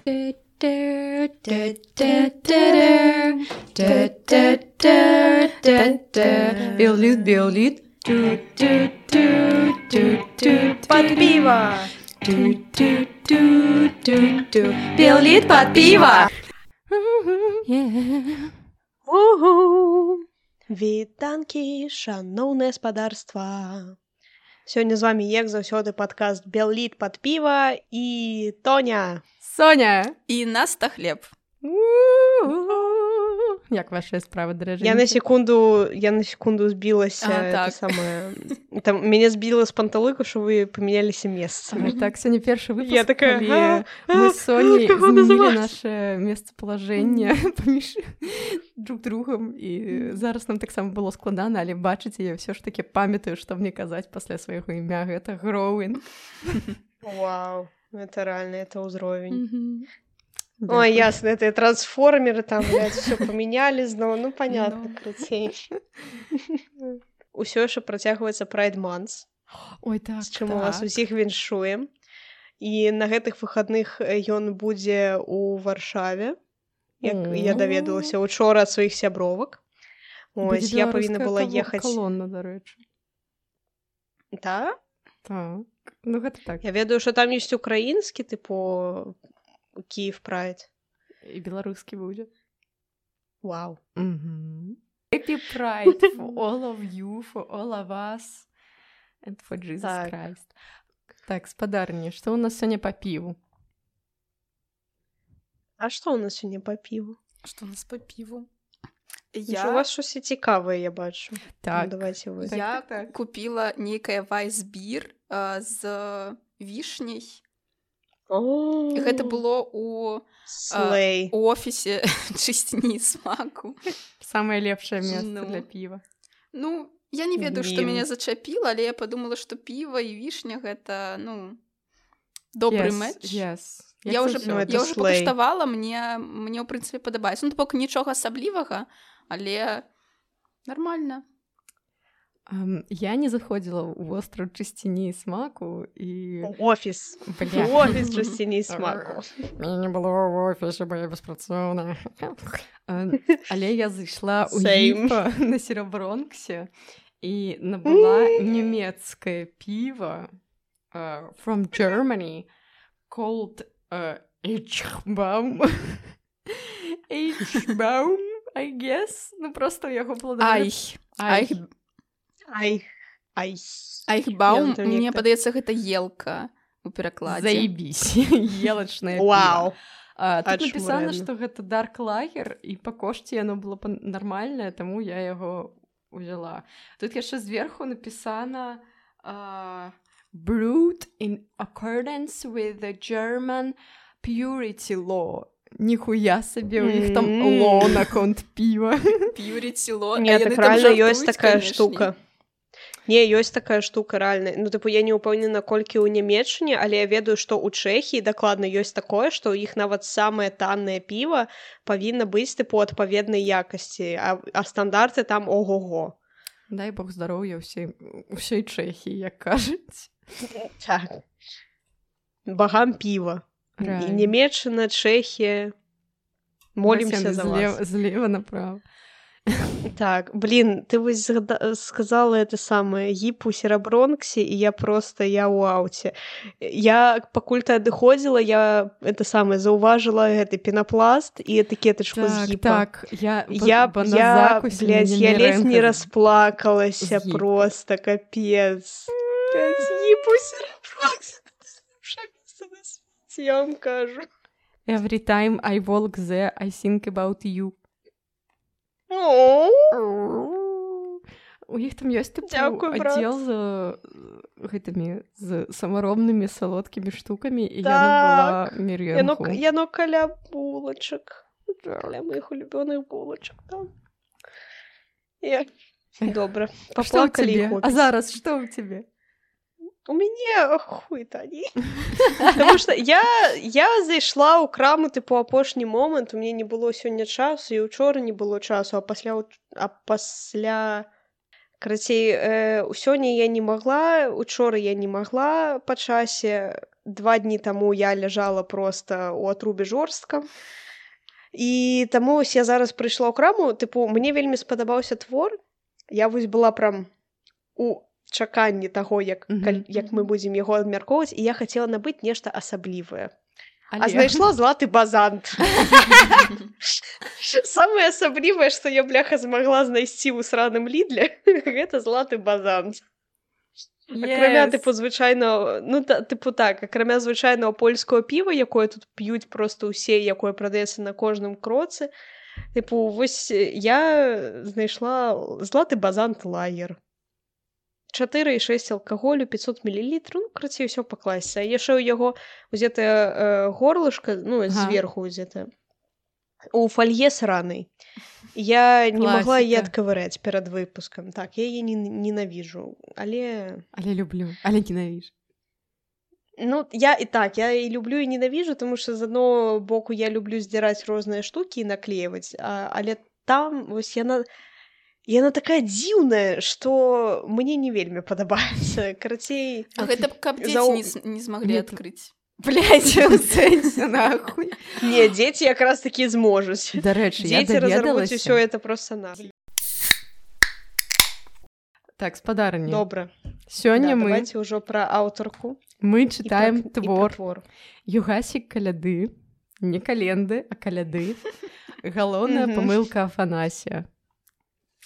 Биолит. Под пиво. Биолит под пиво. Вітанкі, шаноўнае спадарства. Сёння з вами, як заўсёды, падкаст «Белліт пад піва» і Тоня. Соня. І Наста Хлеб. Як ваша справа, даражэнькі? Я на секунду збілася. Так. Мяне збіла з панталыку, што вы памяняліся месцамі. Так, сёння першы выпуск, Я такая, калі мы з Соней змянілі наше месцапалажэнне паміж друг другом, і зараз нам таксама было складана, але бачыце, я ўсё ж такі памятаю, што мне казаць пасля свайго імя, гэта Гроуін. Вау, это реально, это ўзровень. Ой, ясно, это трансформеры там, блядь, всё памянялі зноў, ну, понятно, крыцей. Усё яшчэ працягваецца Pride Month. Ой, так, з чым у вас усіх віншуем. І на гэтых выхадных ён будзе ў Варшаве, як я даведалася учора ад сваіх сябровак. Ось, я павінна была ехаць... Калонна, дарэчы. Так? Так, ну гэта так. Я ведаю, што там ёсць украінскі, тыпу... Киев Pride. І беларускі будзе. Вау. Happy Pride for all of you, for all of us, and for Jesus Christ. Так, спадарні, што ў нас сёння па піву? А што ў нас сёння па піву? Што у нас па піву? У вас щось цікаве, я бачу. Так. Ну, давайте вы. Я купила нейкае вайсбір з вішняй. І гэта было у офісе чысціні і смаку. Самае лепшае месца для піва. Ну, я не ведаю, што мяне зачапіла, але я падумала, што піва і вішня гэта, ну, добры мэч. Я ўжо пакаштавала, мне ў прынцыпе падабаецца. Ну, бок нічога асаблівага, але нармальна. Я не заходзіла ў востраў чысціні і смаку і... Офіс. Офіс чысціні і смаку. Мяне не было ў офісе, бо я беспрацоўная. Але я зайшла ў Гіпа на Серабронксе і набыла нямецкае піва from Germany called H-Baum. H-Baum, I guess. Ну, просто у яго было... Айхбаум, мне падаецца, гэта елка у перакладзе. Заебісь, елачнае піва. Тут напісана, што гэта дарк лагер, і па кошце яно было нармальнае, таму я яго узяла. Тут яшчэ зверху напісана brewed in accordance with the German purity law. Ніхуя сабе, у іх там ло на конт піва. Purity law. Не, так реально ёсць такая штука. Не, ёсць такая штука, рэальна. Ну, тыпу, я не ўпэўнена, колькі ў Нямецчыне, але я ведаю, што ў Чэхіі дакладна ёсць такое, што ў іх нават самае таннае піва павінна быць, тыпу, адпаведнай якасці, а стандарты там ого-го. Дай Бог здароўя ўсёй Чэхіі, як кажуць. Так. Багам піва. Нямецчына, Чэхія. Молімся за вас. Злева направо. Так, блин, ты вось сказала это самае Гіп у Серабронксе, і я ў ауце. Я, пакуль ты адыходзіла, я это самае заўважыла гэты пенапласт і этыкетачку з Гіпа. Так, я блядь, я ледзь не расплакалася просто, капец. Гіп у Серабронксе. Я вам кажу. Every time I walk there, I think about you. У іх там ёсць аддзел з гэтымі з самаробнымі салодкімі штукамі, і яно была меренху. Яно каля булачак. Каля моих улюбёных булачак там. Добра. Паплакалі і хопіць. А зараз што ў цябе? У мяне хуй тані. Таму што я зайшла ў краму тыпу апошні момант, у мяне не было сёння часу, і ўчора не было часу, а пасля... Карацей, сёння я не магла, учора я не магла па часе, 2 дні таму я ляжала проста ў атрубе жорстка. І таму я зараз прыйшла ў краму, тыпу, мне вельмі спадабаўся твор. Я вось была прям у чаканні таго, як мы будзем яго абмяркоўваць, і я хацела набыць нешта асаблівае. А знайшла златы базант. Самае асаблівае, што я, бляха, змагла знайсці ў сраным Лідле, гэта златы базант. Акрамя, тыпу, звычайна, ну, тыпу так, акрамя звычайнага польскага піва, якое тут п'юць проста ўсе, якое прадаецца на кожным кроцы, тыпу, вось я знайшла златы базант лагер. 4,6 алкаголю, 500 мл, ну, крацей, ўсё пакласся. А яшчэ ў яго узетая горлышка, ну, зверху узетая, у фолье сранай. Я не могла яе адкавыраць перад выпускам. Так, я яе ненавіжу, але люблю, але ненавіжу. Ну, я і люблю, і ненавіжу, тому що з одного боку я люблю здзіраць розныя штукі і наклеіваць, але там вось яна такая дзіўная, што мне не вельмі падабаецца. Карацей... А гэта каб дзеці не змаглі адкрыць. Блядь, у сэнсе, нахуй. Не, дзеці якраз такі зможуць. Дарэчы, я даведалася. Дзеці разарвуць усё это проста на. Так, спадарні. Добра. Сёння мы... Давайте ўжо пра аўтарку. Мы чытаем твор Югасік Каляды. Не календы, а каляды. Галоўная памылка Афанасія.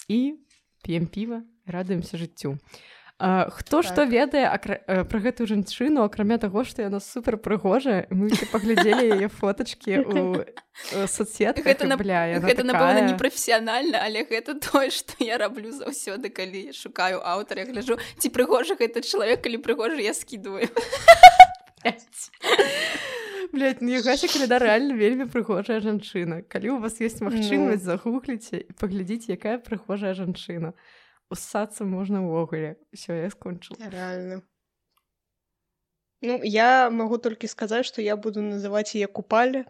І п'ем піва, радуемся жыццю. Хто што ведае пра гэтую жанчыну, акрамя таго, што яна супер прыгожая, мы паглядзелі яе фотачкі ў соцсетках. Гэта, напэўна, непрафесіянальна, але гэта тое, што я раблю заўсёды, калі шукаю аўтара, я гляджу, ці прыгожы гэты чалавек, калі прыгожы, я скідваю. Блядь, ну Югася Каляда рэальна вельмі прыгожая жанчына. Калі у вас ёсць магчымасць, загугліце і паглядзіце, якая прыгожая жанчына. Уссацца можна ўвогуле. Усё, я скончыла. Рэальна. Ну, я магу толькі сказаць, што я буду называць яе Купаля.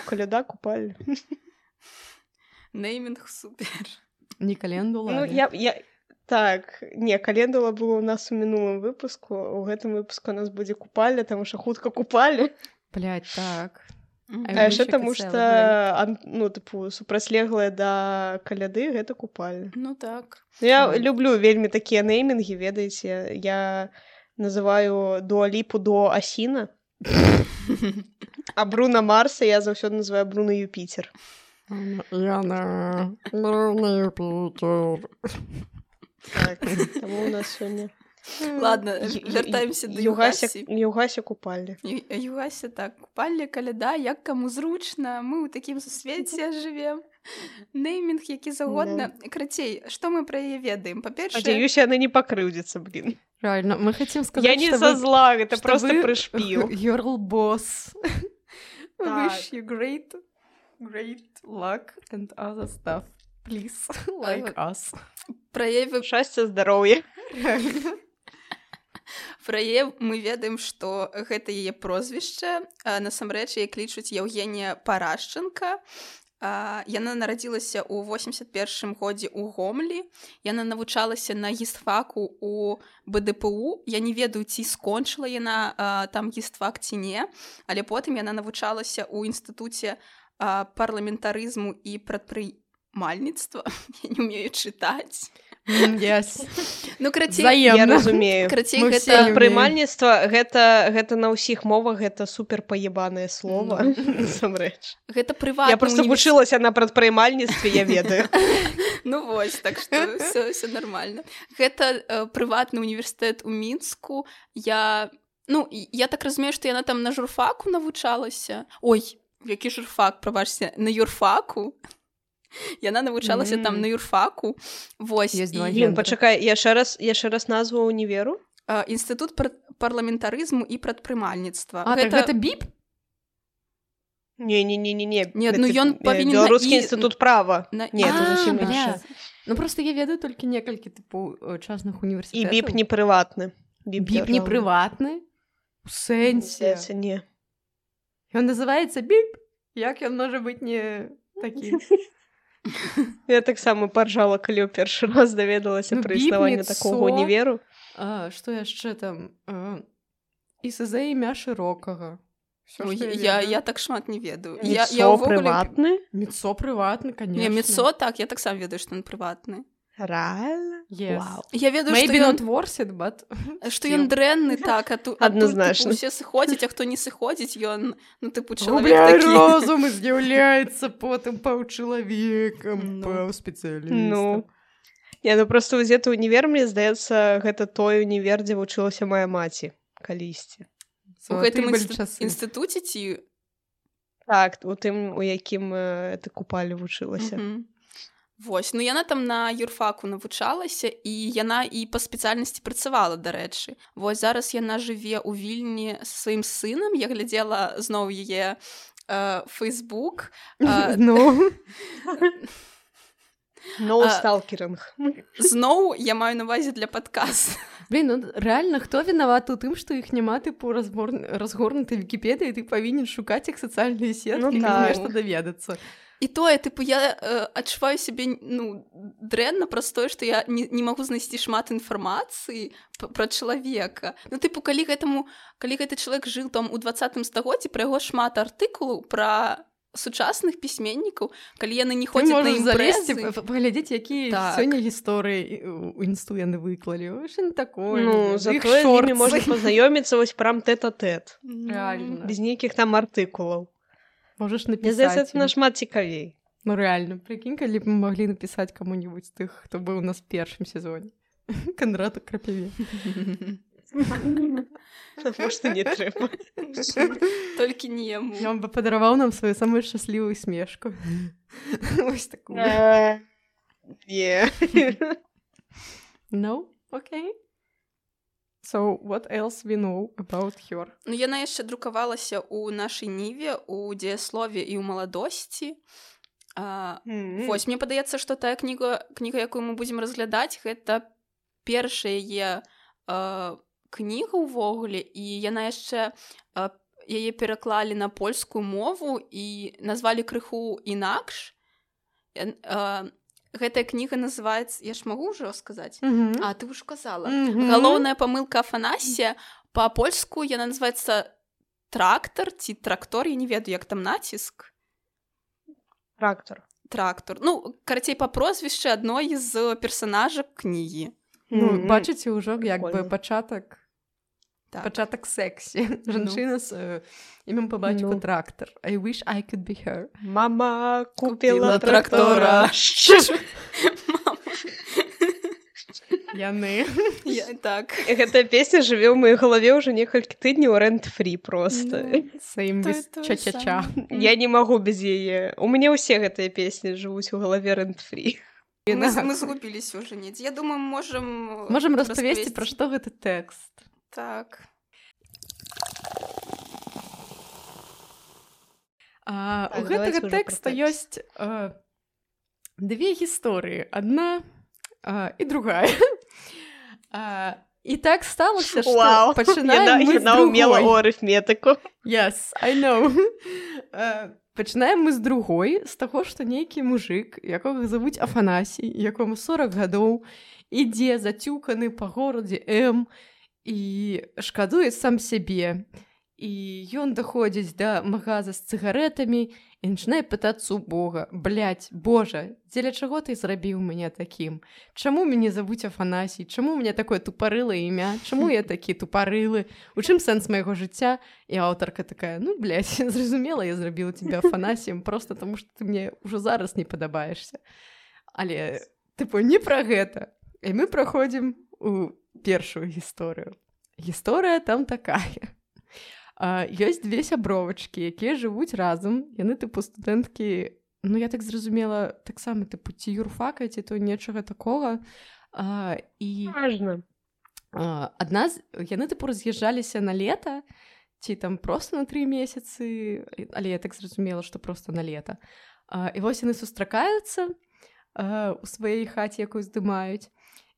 Каляда Купаля. Неймінг супер. Не календула. Ну, так, не, календула была у нас у мінулым выпуску. У гэтым выпуску у нас будзе Купаля, таму што хутка Купалі. Блядь, так. А яшчэ таму што, ну, тыпу, супрацьлеглая да каляды, гэта Купаля. Ну, так. Я люблю вельмі такія неймінгі, ведаеце. Я называю Дуа-Ліпу до Асіна. А Бруна Марса я заўсёды называю Бруна Юпітер. Яна, Бруна Юпітер. Так, таму у нас сёння... Ладно, вяртаемся до Югасі. Югася Купалі. Югася, так, Купалі, каляда, як каму зручна, мы ў такім свеце жывем. Неймінг, які загодна. Крацей, што мы пра яе ведаем? Па-першае... Спадзяюся, яна не пакрыўдзіцца, блин. Правильно, мы хотим сказать, я не со зла, это просто прышпіл. Your boss. Wish you great luck and other stuff. Please, like us. Праяві шчасця, здароўя. Пра яе мы ведаем, што гэта яе прозвішча. Насамрэч яе клічуць Еўгенія Парашченка. Яна нарадзілася ў 81 годзе ў Гомлі. Яна навучалася на гістфаку ў БДПУ. Я не ведаю, ці скончыла яна там гістфак ці не, але потым яна навучалася ў інстытуце парламентарызму і прадпрымальніцтва. Я не умею чытаць. Yes. Ну, крацей, я разумею. Крацей, гэта прымальніцтва, гэта на ўсіх мовах, гэта супер паебанае слово. Насамрэч. Гэта прыватны я просто вучылася на прадпрымальніцтве, я ведаю. Ну вось, так што все нормально. Гэта прыватны універсітэт у Мінску. Я так разумею, што яна там на журфаку навучалася. Ой, які журфак, прабачце, на юрфаку. Яна навучалася там на юрфаку. Вось. Блин, пачакай, я ще раз назву універу. Інстытут парламентарызму і прадпрымальніцтва. А, так гэта БІП? Не. Нет, ну ён павінен... Беларускі інстытут права. Не, это зусім інша. Ну, просто я ведаю толькі некалькі типу частных універсітэтаў. І БІП не прыватны. БІП не прыватны? У сэнсе? Не. Ён называецца БІП? Як ён можа быць не такі? Я таксама паржала, калі ў першы раз даведалася пра існаванне такога універу. Што яшчэ там? і СЗ імя шырокага. Я так шмат не ведаю. Міцо прыватны? Міцо прыватны, конечно. Не, Міцо, так, я так сам ведаю, што ён прыватны. Реально? Yes. Вау. Я ведаю, Maybe not worth it, but... Што ён дрэнны, так, адназначна. Усе сыходзяць, а хто не сыходзіць, ён, ну, тыпу, чалавек такі. Розум і з'яўляецца потым паўчалавекам, паўспецыялістам. Ну, не, ну просто ўзеты ўнівер, мне здаецца, гэта той універ, дзе вучылася мая маці калісьці. У гэтым інстытуце ці? Так, у тым, у якім ты купалі вучылася. Вось, ну яна там на юрфаку навучалася, і яна і па спецыяльнасці працавала, дарэчы. Вось зараз яна жыве ў Вільні са сваім сынам, я глядзела зноў яе Фейсбук. No stalkering. Зноў я маю на ўвазе для падкаста. Блин, ну реально, хто вінаваты ў тым, што іх няма, тыпу, разгорнутай Вікіпедыі, ты павінен шукаць іх сацыяльныя сеткі, каб нешта даведацца. І тое, тыпу, я адчуваю сябе, ну, дрэнна праз тое, што я не магу знайсці шмат інфармацыі пра чалавека. Ну, тыпу, калі гэты чалавек жыў там у 20-м стагоддзі, пра яго шмат артыкулаў пра сучасных пісьменнікаў, калі яны не ходзяць на імпрэзы. Паглядзець, якія сёння гісторыі у інсту яны выклалі. Што не такое. Ну, зато з імі можна пазнаёміцца вось прям тэт-а-тэт. Реально. Без нейкіх там артыкулаў. Можаш Мне напісаць. здаецца, це нашмат цікавей. Ну, реально. Прикинь, калі б мы маглі напісаць каму-нибудь з тых, хто быў у нас в першым сезоне. Канраду Крапіве. Может, не трэба. Толькі не яму. Ён бы падараваў нам сваю самую шчаслівую смешку. Вось такую. No? Okay. So, what else we know about her? Ну, яна яшчэ друкавалася ў нашай ніве, у дзеяслове і ў маладосці. Вось, мне падаецца, што тая кніга, якую мы будзем разглядаць, гэта першая яе кніга ўвогуле, і яна яшчэ яе пераклалі на польскую мову і назвалі крыху інакш. Гэтая кніга называецца, я ж магу ўжо сказаць? А, ты ўжо казала. Галоўная памылка Афанасія, па-польску яна называецца трактар ці трактор, я не ведаю, як там націск. Трактор. Ну, карацей, па прозвішчы адной з персанажак кнігі. Ну, бачыце ўжо як бы пачатак сексі. Жанчына з імем па бацьку трактар. I wish I could be her. Мама купила трактора. Яны. Так. Гэтая песня жыве ў маёй галаве ўжо некалькі тыдняў рэнт-фрі проста. Саім ча-ча-ча. Я не магу без яе. У мяне ўсе гэтыя песні жывуць у галаве рэнт-фрі. Мы згубіліся ўжо недзе. Я думаю, можам распавесці, пра што гэты тэкст. Так. У гэтага тэкста ёсць две гісторыі. Адна і другая. І так сталося, што пачынаем мы з другой. Яна ўмела ў арыфметыку. Yes, I know. Пачынаем мы з другой, з таго, што нейкі мужык, якога завуць Афанасій, якому 40 гадоў, ідзе зацюканы па горадзе М і шкадуе сам сябе. І ён даходзіць да магаза з цыгаретамі і пачынае пытацца ў Бога: «Блядь, Божа, дзеля чаго ты зрабіў мяне такім? Чаму мяне завуць Афанасій? Чаму мне такое тупарылае імя? Чаму я такі тупарылы? У чым сэнс майго жыцця?» І аўтарка такая: «Ну, блядь, зразумела, я зрабіла цябе Афанасіем, просто таму, што ты мне ўжо зараз не падабаешся». Але, тыпу, не пра гэта. І мы праходзім у першую гісторыю. Гісторыя там такая. Ёсць две сябровачкі, якія жывуць разам. Яны, тыпу, студэнткі, ну, я так зразумела, таксама, тыпу, ці юрфака, ці то нечага такога. Важна. Яны, тыпу, раз'язджаліся на лета, ці там проста на 3 месяцы, але я так зразумела, што проста на лета. І вось яны сустракаюцца у сваёй хаце, якую здымаюць.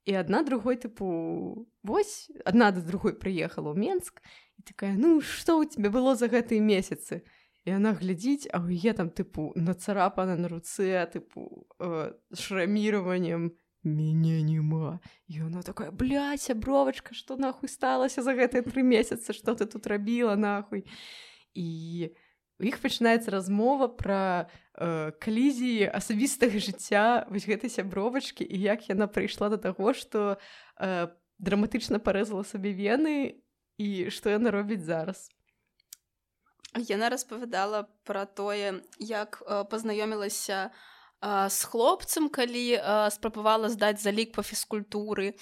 І адна другой, тыпу, вось, адна да другой прыехала ў Менск, і такая: «Ну, што ў тебе было за гэтыя месяцы?» І яна глядзіць, а ў яе там, тыпу, нацарапана на руцэ, тыпу, шраміраваннем мяне няма. І яна такая, блядь, сябровачка, што нахуй сталася за гэтыя 3 месяцы, што ты тут рабіла, нахуй. І у іх пачынаецца размова пра калізіі асабістага жыцця вось гэтай сябровачкі і як яна прыйшла да таго, што драматычна парэзала сабе вены і што яна робіць зараз. Яна распавядала пра тое, як пазнаёмілася з хлопцам, калі спрабавала здаць залік па фізкультуры.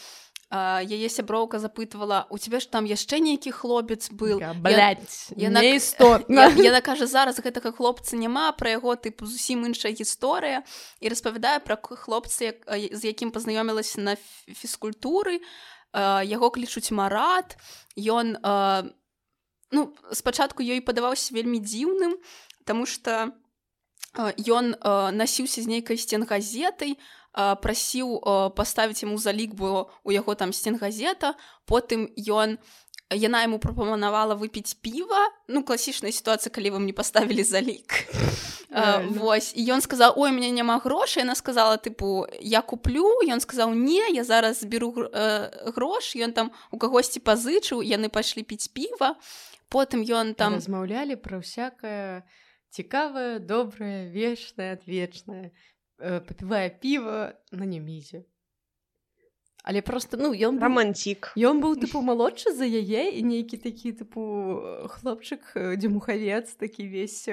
Яе сяброўка запытвала, у цябе ж там яшчэ нейкі хлопец быў. Блядь, неістотна. Яна кажа, зараз гэтага хлопца няма, пра яго тыпу зусім іншая гісторыя, і распавядае пра хлопца, з якім пазнаёмілася на фізкультуры. Яго клічуць Марат. Ён спачатку ёй падаваўся вельмі дзіўным, таму што ён насіўся з нейкай стенгазетай, прасіў паставіць яму залік, бо у яго там стенгазета, потым яна яму прапанавала выпіць піва, класічная сітуацыя, калі вам не паставілі залік. Вось, і ён сказаў, ой, у мяне няма грошай, яна сказала, тыпу, я куплю, ён сказаў, не, я зараз зберу грош, ён там у кагосьці пазычыў, яны пайшлі піць піва, потым ён там... Размаўлялі пра ўсякае цікавае, добрае, вечнае, адвечнае, папівае піва на немізе. Але просто, ён быў... Романтик. Ён быў, тыпу, малодшы за яе, і нейкі такі, тыпу, хлопчык, дзюмухавец, такі весь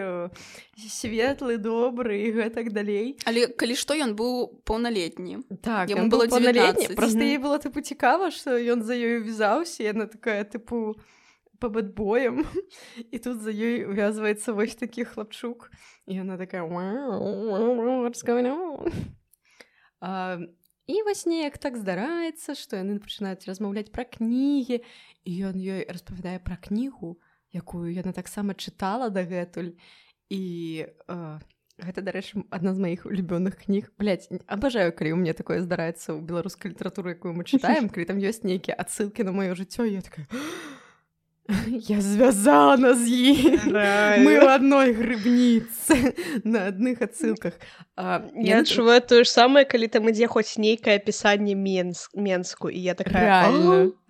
светлы, добры і гэтак далей. Але калі што, ён быў паўналетні. Так, ён быў паўналетні. Просто ей было, тыпу, цікава, што ён за ёю вязаўся, і яна такая, тыпу, па бэтбоям, і тут за ёй увязваецца вось такі хлапчук, і яна такая, what's going on? І вось неяк так здараецца, што яны пачынаюць размаўляць пра кнігі, і ён ёй распавядае пра кнігу, якую яна таксама чытала дагэтуль, і гэта, дарэчы, адна з маіх улюбёных кніг. Блядь, абажаю, калі ў мяне такое здараецца ў беларускай літаратуры, якую мы чытаем, калі там ёсць нейкія адсылкі на маё жыццё, і я такая... Я звязана з ім. Мы ў адной грыбніцы на адных адсылках. Я адчуваю тое ж самае, калі там ідзе хоць нейкае апісанне Менску, і я такая...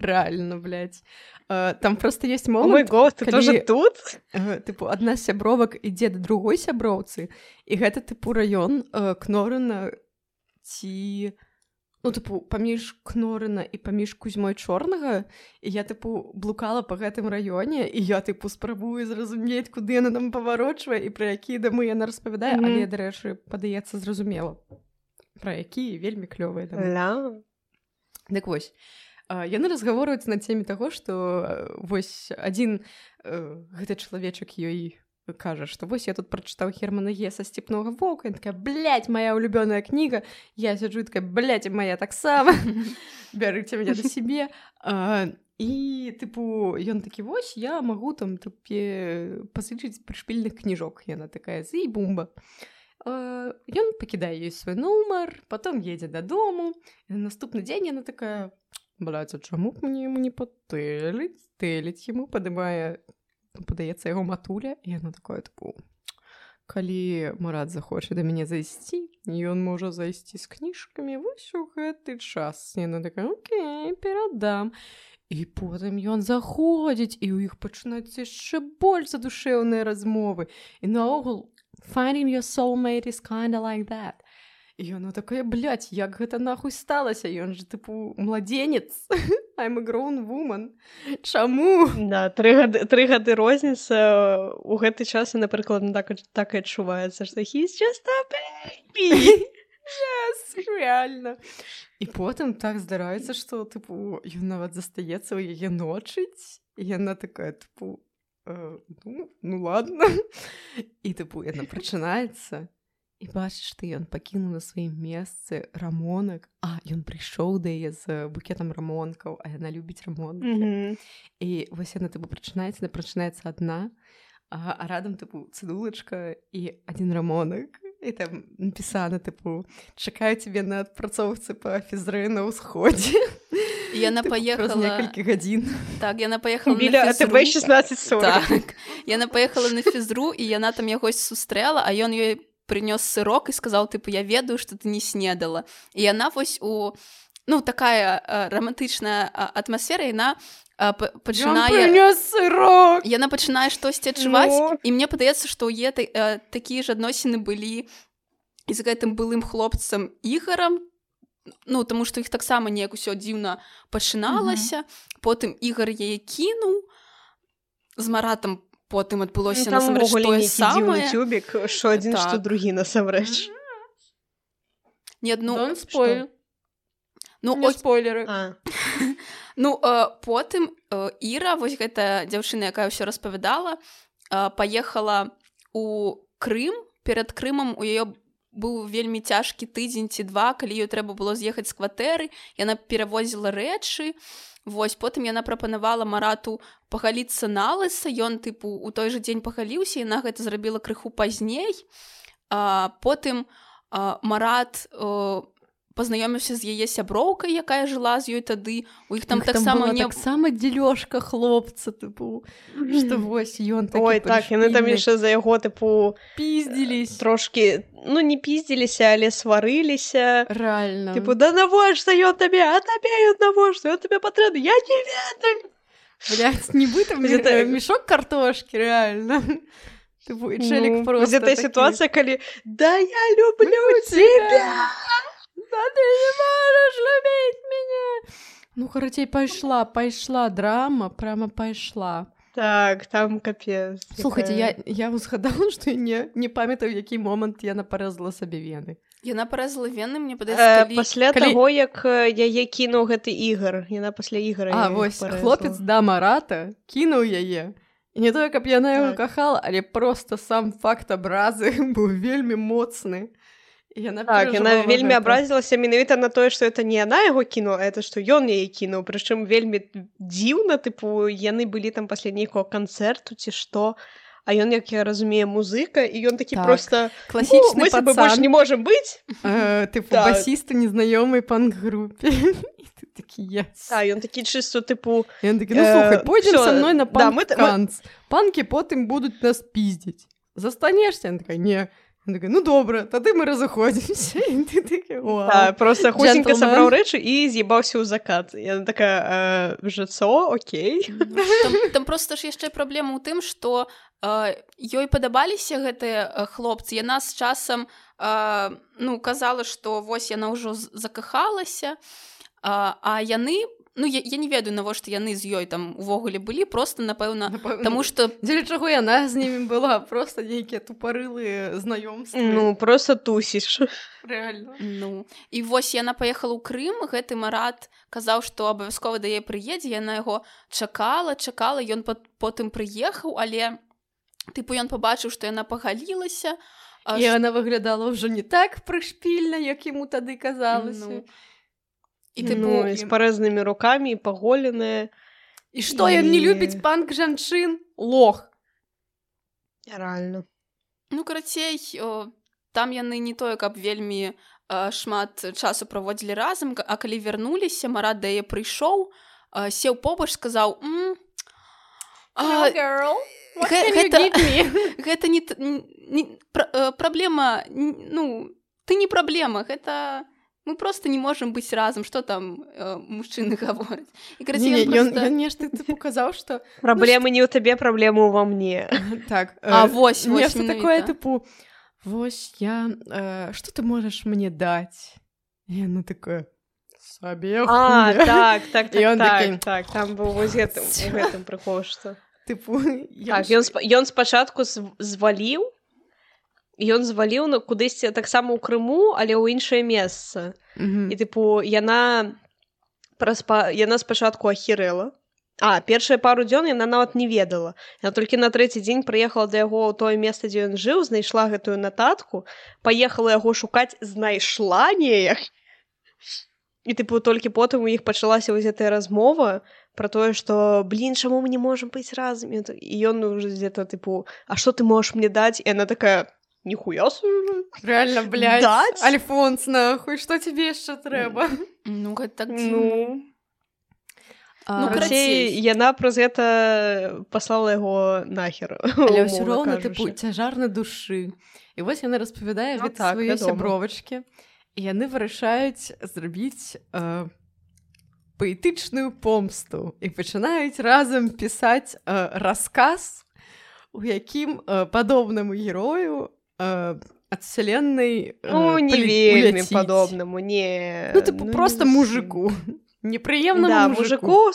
Рэальна, блядь. Там просто ёсць момант... О мой год, ты тоже тут? Тыпу, адна з сябровак ідзе да другой сяброўцы, і гэта, тыпу, раён Кнорына ці... тыпу, паміж Кнорына і паміж Кузьмой Чорнага, і я, тыпу, блукала па гэтым раёне, і я, тыпу, спрабую зразумець, куды яна там паварочвае і пра якія дамы яна распавядае, але, дарэчы, падаецца зразумела. Пра якія вельмі клёвыя дамы. Дык вось, яны разгаворваюць на теме таго, што вось адзін гэты чалавечак ёй кажа, што вось я тут прачытаў Германа Геса «Степнога воўка», і такая, блядь, моя улюбёная кніга, я сяджу і такая, блядь, моя таксама, бярыце мяне да сябе. І, тыпу, ён такі, вось, я магу там пазычыць прышпільных кніжок. Яна такая, зы і бумба. Ён пакідае ёй свой нумар, потом едзе дадому, і на наступны дзень яна такая, блядь, а чаму б мне яму не патэліць? Тэліць яму, падаецца яго матуля, і яна такое, тыпу, калі Марат захоча да мяне зайсці, ён можа зайсці з кніжкамі вось у гэты час. Яна такая, окей, перадам. І потым ён заходзіць, і ў іх пачынаюцца яшчэ больш задушэўныя размовы. І наогул, finding your soulmate is kinda like that. І яна такая, блядь, як гэта нахуй сталася? Ён же, тыпу, младзенец. I'm a grown woman. Чаму? Да, 3 гады розніца. У гэты час, напрыклад, так і адчуваецца, што he's just a baby. Yes, реально. І потым так здараецца, што, тыпу, ён нават застаецца ў яе ночыць. І яна такая, тыпу, ну ладно. І, тыпу, яна прачынаецца. І бачыш ты, ён пакінуў на сваім месцы рамонак. Ён прыйшоў да яе з букетам рамонкаў, а яна любіць рамонкі. І вось яна, тыпу, прачынаецца адна, а радам, тыпу, цыдулачка і адзін рамонак. І там напісана, тыпу, чакаю цябе на адпрацоўцы па фізры на ўсходзе. Яна паехала... Праз некалькі гадзін. Так, яна паехала на фізру. Біля АТБ 1640. Так, яна паехала на фізру, і яна там ягось сустрэла, а ён ёй прынёс сырок і сказаў тыпу я ведаю што ты не снедала і яна вось у такая рамантычная атмасфера яна пачынае сырок яна пачынае штосьці адчуваць і мне падаецца што ў такія ж адносіны былі і з гэтым былым хлопцам Ігарам таму што іх таксама неяк усё дзіўна пачыналася потым Ігар яе кінуў з Маратам потым адбылося насамрэч тое самае тюбік што адзін што другі насамрэч не адну спойлер спойлеры потым Іра вось гэта дзяўчына якая ўсё распавядала паехала у Крым перад Крымам у яе быў вельмі цяжкі тыдзень ці два калі ёй трэба было з'ехаць з кватэры яна перавозіла рэчы вось потым яна прапанавала Марату пагаліцца налыса ён тыпу у той жа дзень пагаліўся яна гэта зрабіла крыху пазней потым Марат пазнаёміўся з яе сяброўкай якая жыла з ёй тады у іх там таксама таксама дзелёжка хлопца тыпу што вось ён ой так яны там яшчэ за яго тыпу пиздзілись трошки не пиздзіліся але сварыліся рэальна тыпу да навошта ён табе а табе ён навошта ён табе патрэбны я не ведаю блядь нібыта мешок картошкі рэальна тыпу і чэлік просто гэта сітуацыя калі да я люблю тебя да ты не можешь любить меня карацей пайшла драма прямо пайшла так там капец слухайте я узгадала што не памятаю які момант яна парэзала сабе вены яна парэзала вены мне падаецца пасля таго як яе кінуў гэты Ігар яна пасля Ігара вось хлопец да Марата кінуў яе не тое каб яна яго кахала але просто сам факт абразы быў вельмі моцны яна вельмі абразілася менавіта на тое што это не яна яго кінула это што ён яе кінуў прычым вельмі дзіўна тыпу яны былі там пасля нейкага канцэрту ці што а ён як я разумею музыка і ён такі просто класічны пацан больш не можам быць тыпу басіста незнаёмай панк-групе ён такі чысто тыпу ён такі слухай пойдзем са мной на панк-канц панкі потым будуць нас пиздзіць застанешся такая не ну добра, тады мы разыходзімся просто хутенька сабраў рэчы і з'ебаўся ў закат яна такая жыццо окей там просто ж яшчэ праблема ў тым што ёй падабаліся гэтыя хлопцы яна з часам казала што вось яна ўжо закахалася а яны я не ведаю навошта яны з ёй там увогуле былі просто напэўна таму што дзеля чаго яна з імі была просто нейкія тупарылыя знаёмствы просто тусіш рэальна і вось яна паехала ў Крым гэты Марат казаў што абавязкова да яе прыедзе яна яго чакала ён потым прыехаў але тыпу ён пабачыў што яна пагалілася і яна выглядала ўжо не так прышпільна як яму тады казалася і з парэзнымі рукамі і паголеная і што ён не любіць панк жанчын лох рэальна карацей там яны не тое каб вельмі шмат часу праводзілі разам а калі вярнуліся Марат да яе прыйшоў сеў побач сказаў гэта не праблема ты не праблема гэта мы просто не можам быць разам што там мужчыны гавораць ён нешта показаў што праблемы не ў табе праблему ува мне так вось нешта такое тыпу вось я што ты можаш мне даць яна такое сабе так там быў вось гэтым прыкол што тыпу ён спачатку зваліў ён зваліў кудысьці таксама ў Крыму, але ў іншае месца. І тыпу яна спачатку ахірэла. Першыя пару дзён яна нават не ведала. Яна толькі на трэці дзень прыехала да яго ў тое месца, дзе ён жыў, знайшла гэтую нататку, паехала яго шукаць, знайшла неяк. І тыпу толькі потым у іх пачалася вось гэтая размова пра тое, што чаму мы не можам быць разам? І ён уже дзе-то тыпу, а што ты можаш мне даць? І яна такая нихуя себе. Реально, блядь. Дать? Альфонс, нахуй, что тебе еще трэба? Гэта так дзіўна. яна праз гэта паслала яго нахер. Але ўсё роўна цяжар на душы. І вось яна распавядае гэта свае сябровачкі, і яны вырашаюць зрабіць паэтычную помсту і пачынаюць разам пісаць расказ, у якім падобнаму герою ад вселенной не вельмі падобнаму, не. Просто мужику. Непрыемнаму мужику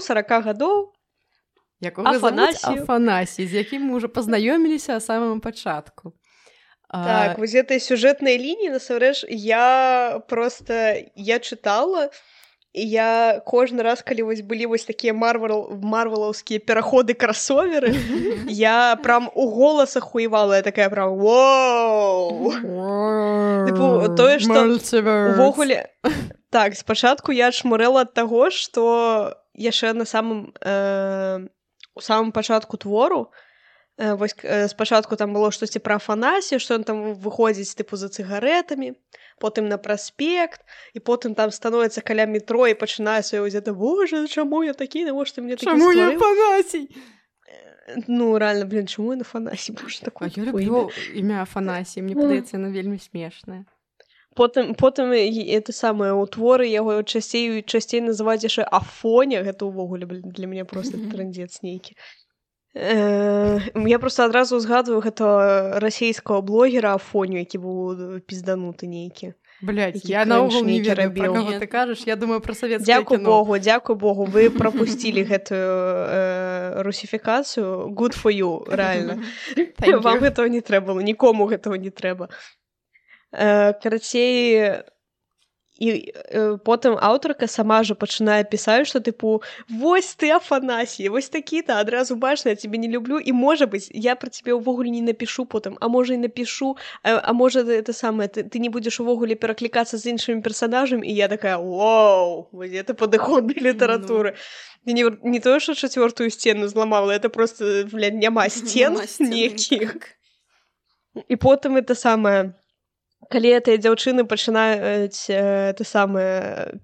40 гадоў, якога завуць Афанасій, з якім мы ўжо пазнаёміліся а самым пачатку. Так, вось этой сюжэтнай лініі, насамрэч, я чытала, і я кожны раз, калі вось былі вось такія марвелаўскія пераходы кросоверы, я прям у голасах уявала, я такая прям воу! Тое, што увогуле... Так, спачатку я чмурэла ад таго, што яшчэ у самым пачатку твору, вось спачатку там было штосьці пра Афанасія, што ён там выходзіць за цыгарэтамі, потым на праспект, і потым там становіцца каля метро і пачынае сваё гэта, боже, чаму я такі, навошта мне такі стварыў? Чаму я Афанасій? Реально, чаму я Афанасій? Боже, такое. Я люблю імя Афанасій, мне падаецца, яно вельмі смешнае. Потым это самае у творы яго часцей называць яшчэ Афоня, гэта ўвогуле для мяне просто трындзец нейкі. Я просто адразу згадваю гэта расійскага блогера Афоню, які быў піздануты нейкі. Блядь, я наогул не ведаю, пра каго ты кажаш, я думаю пра савецкае кіно. Дзякуй Богу, вы прапусцілі гэтую русіфікацыю. Good for you, рэальна. Вам гэтага не трэба, нікому гэтага не трэба. Карацей, і потым аўтарка сама же пачынае пісаць, што вось ты Афанасій, вось такі-то, адразу бачна, я цябе не люблю, і можа быць, я пра цябе ўвогуле не напішу потым, а можа і напішу, а можа это самае, ты не будзеш увогуле пераклікацца з іншымі персанажамі, і я такая, вау, вось это падыход да літаратуры. Не тое, што 4-ю сцену зламала, это просто, блядь, няма сцен ніякіх. І потым это самае, калі гэтыя дзяўчыны пачынаюць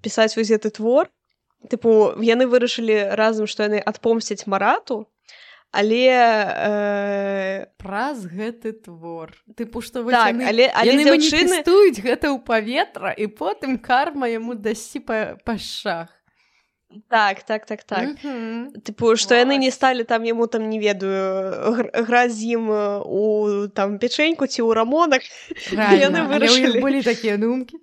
пісаць вось гэты твор, яны вырашылі разам, што яны адпомсцяць Марату, але праз гэты твор. Што яны маніфестуюць гэта ў паветра, і потым карма яму дасці па шах. Так. Што яны не сталі там яму там, не ведаю, граць з ім у там печеньку ці ў рамонах. Яны вырашылі. Але ў іх былі такія думкі.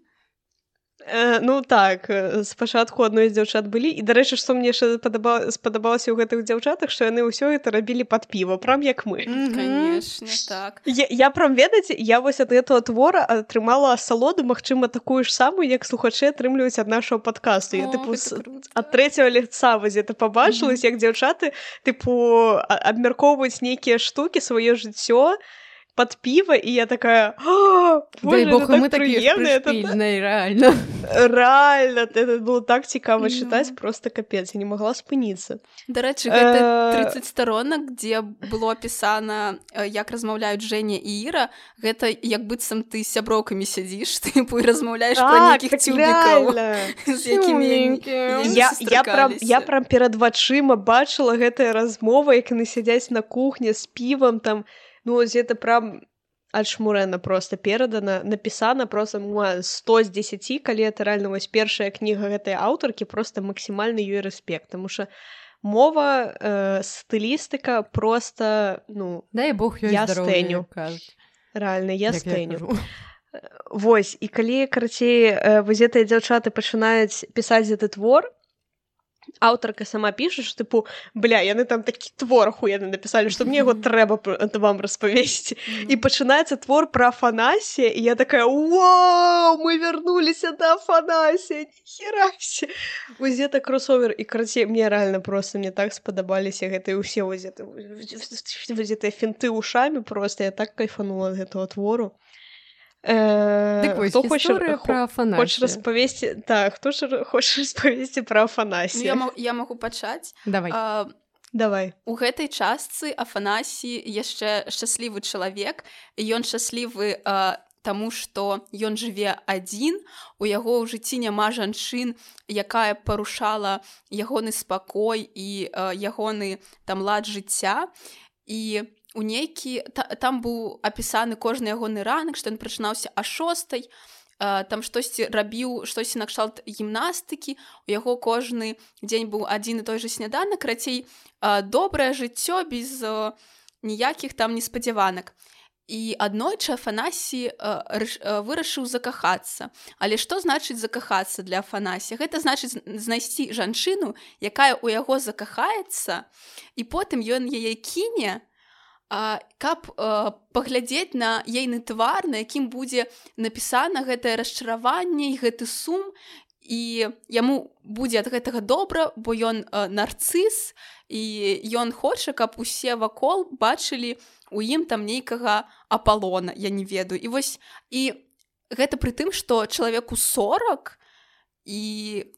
Так, спачатку адной з дзяўчат былі, і, дарэчы, што мне спадабалася ў гэтых дзяўчатах, што яны ўсё гэта рабілі пад піва, прям як мы. Конечно, так. Я прям, ведаеце, я вось ад гэтага твора атрымала асалоду, магчыма, такую ж самую, як слухачы атрымліваюць ад нашага падкасту. Я, ад трэцяга лица вось гэта пабачыла, як дзяўчаты, абмяркоўваюць нейкія штукі, сваё жыццё, под пиво, и я такая, боже, это так приемно. Реально. Реально, это было так цікаво читать, просто капец, я не могла спыніцца. Дарэчы, гэта 30 сторонок, где было опісана, як размаўляюць Женя і Іра, гэта як быццам ты з сяброўкамі сядзіш, ты і размаўляеш пра нейкіх цюбікаў, з якімі сустракаліся. Я прям перад вачыма бачыла гэтая размова, як яны сядзяць на кухне з півам там. Это прям адшмурена просто перадана, напісана просто 100 з 10, калі это реально вось першая кніга гэтай аўтаркі, просто максімальны ёй рэспект, тому що мова, стылістыка просто, дай Бог ёй здароўя, кажуць. Реально, я стэню. Вось, і калі, карацей, вось гэтыя дзяўчаты пачынаюць пісаць гэты твор, аўтарка сама піша, што яны там такі твор ахуенны напісалі, што мне яго трэба вам распавесці. І пачынаецца твор пра Афанасія, і я такая, вау, мы вярнуліся да Афанасія, ніхерася. Вось гэта кросовер, і карацей, мне реально просто, мне так спадабаліся гэтыя ўсе вось гэтыя фінты ушамі, просто я так кайфанула ад гэтага твору. Хто хоча распавесці пра Афанасія? Я магу пачаць. Давай. У гэтай частцы Афанасій яшчэ шчаслівы чалавек, і ён шчаслівы таму што ён жыве адзін, у яго ў жыцці няма жанчын, якая парушала ягоны спакой і ягоны там лад жыцця, і у нейкі там быў апісаны кожны ягоны ранак, што ён прачынаўся а 6:00, там штосьці рабіў, штосьці накшталт гімнастыкі, у яго кожны дзень быў адзін і той жа сняданак, карацей, добрае жыццё без ніякіх там неспадзяванак. І аднойчы Афанасій вырашыў закахацца. Але што значыць закахацца для Афанасія? Гэта значыць знайсці жанчыну, якая ў яго закахаецца, і потым ён яе кіне, каб паглядзець на ейны твар, на якім будзе напісана гэтае расчараванне і гэты сум, і яму будзе ад гэтага добра, бо ён нарцыс, і ён хоча, каб усе вакол бачылі у ім там нейкага Апалона, я не ведаю. І вось, і гэта пры тым, што чалавеку 40, і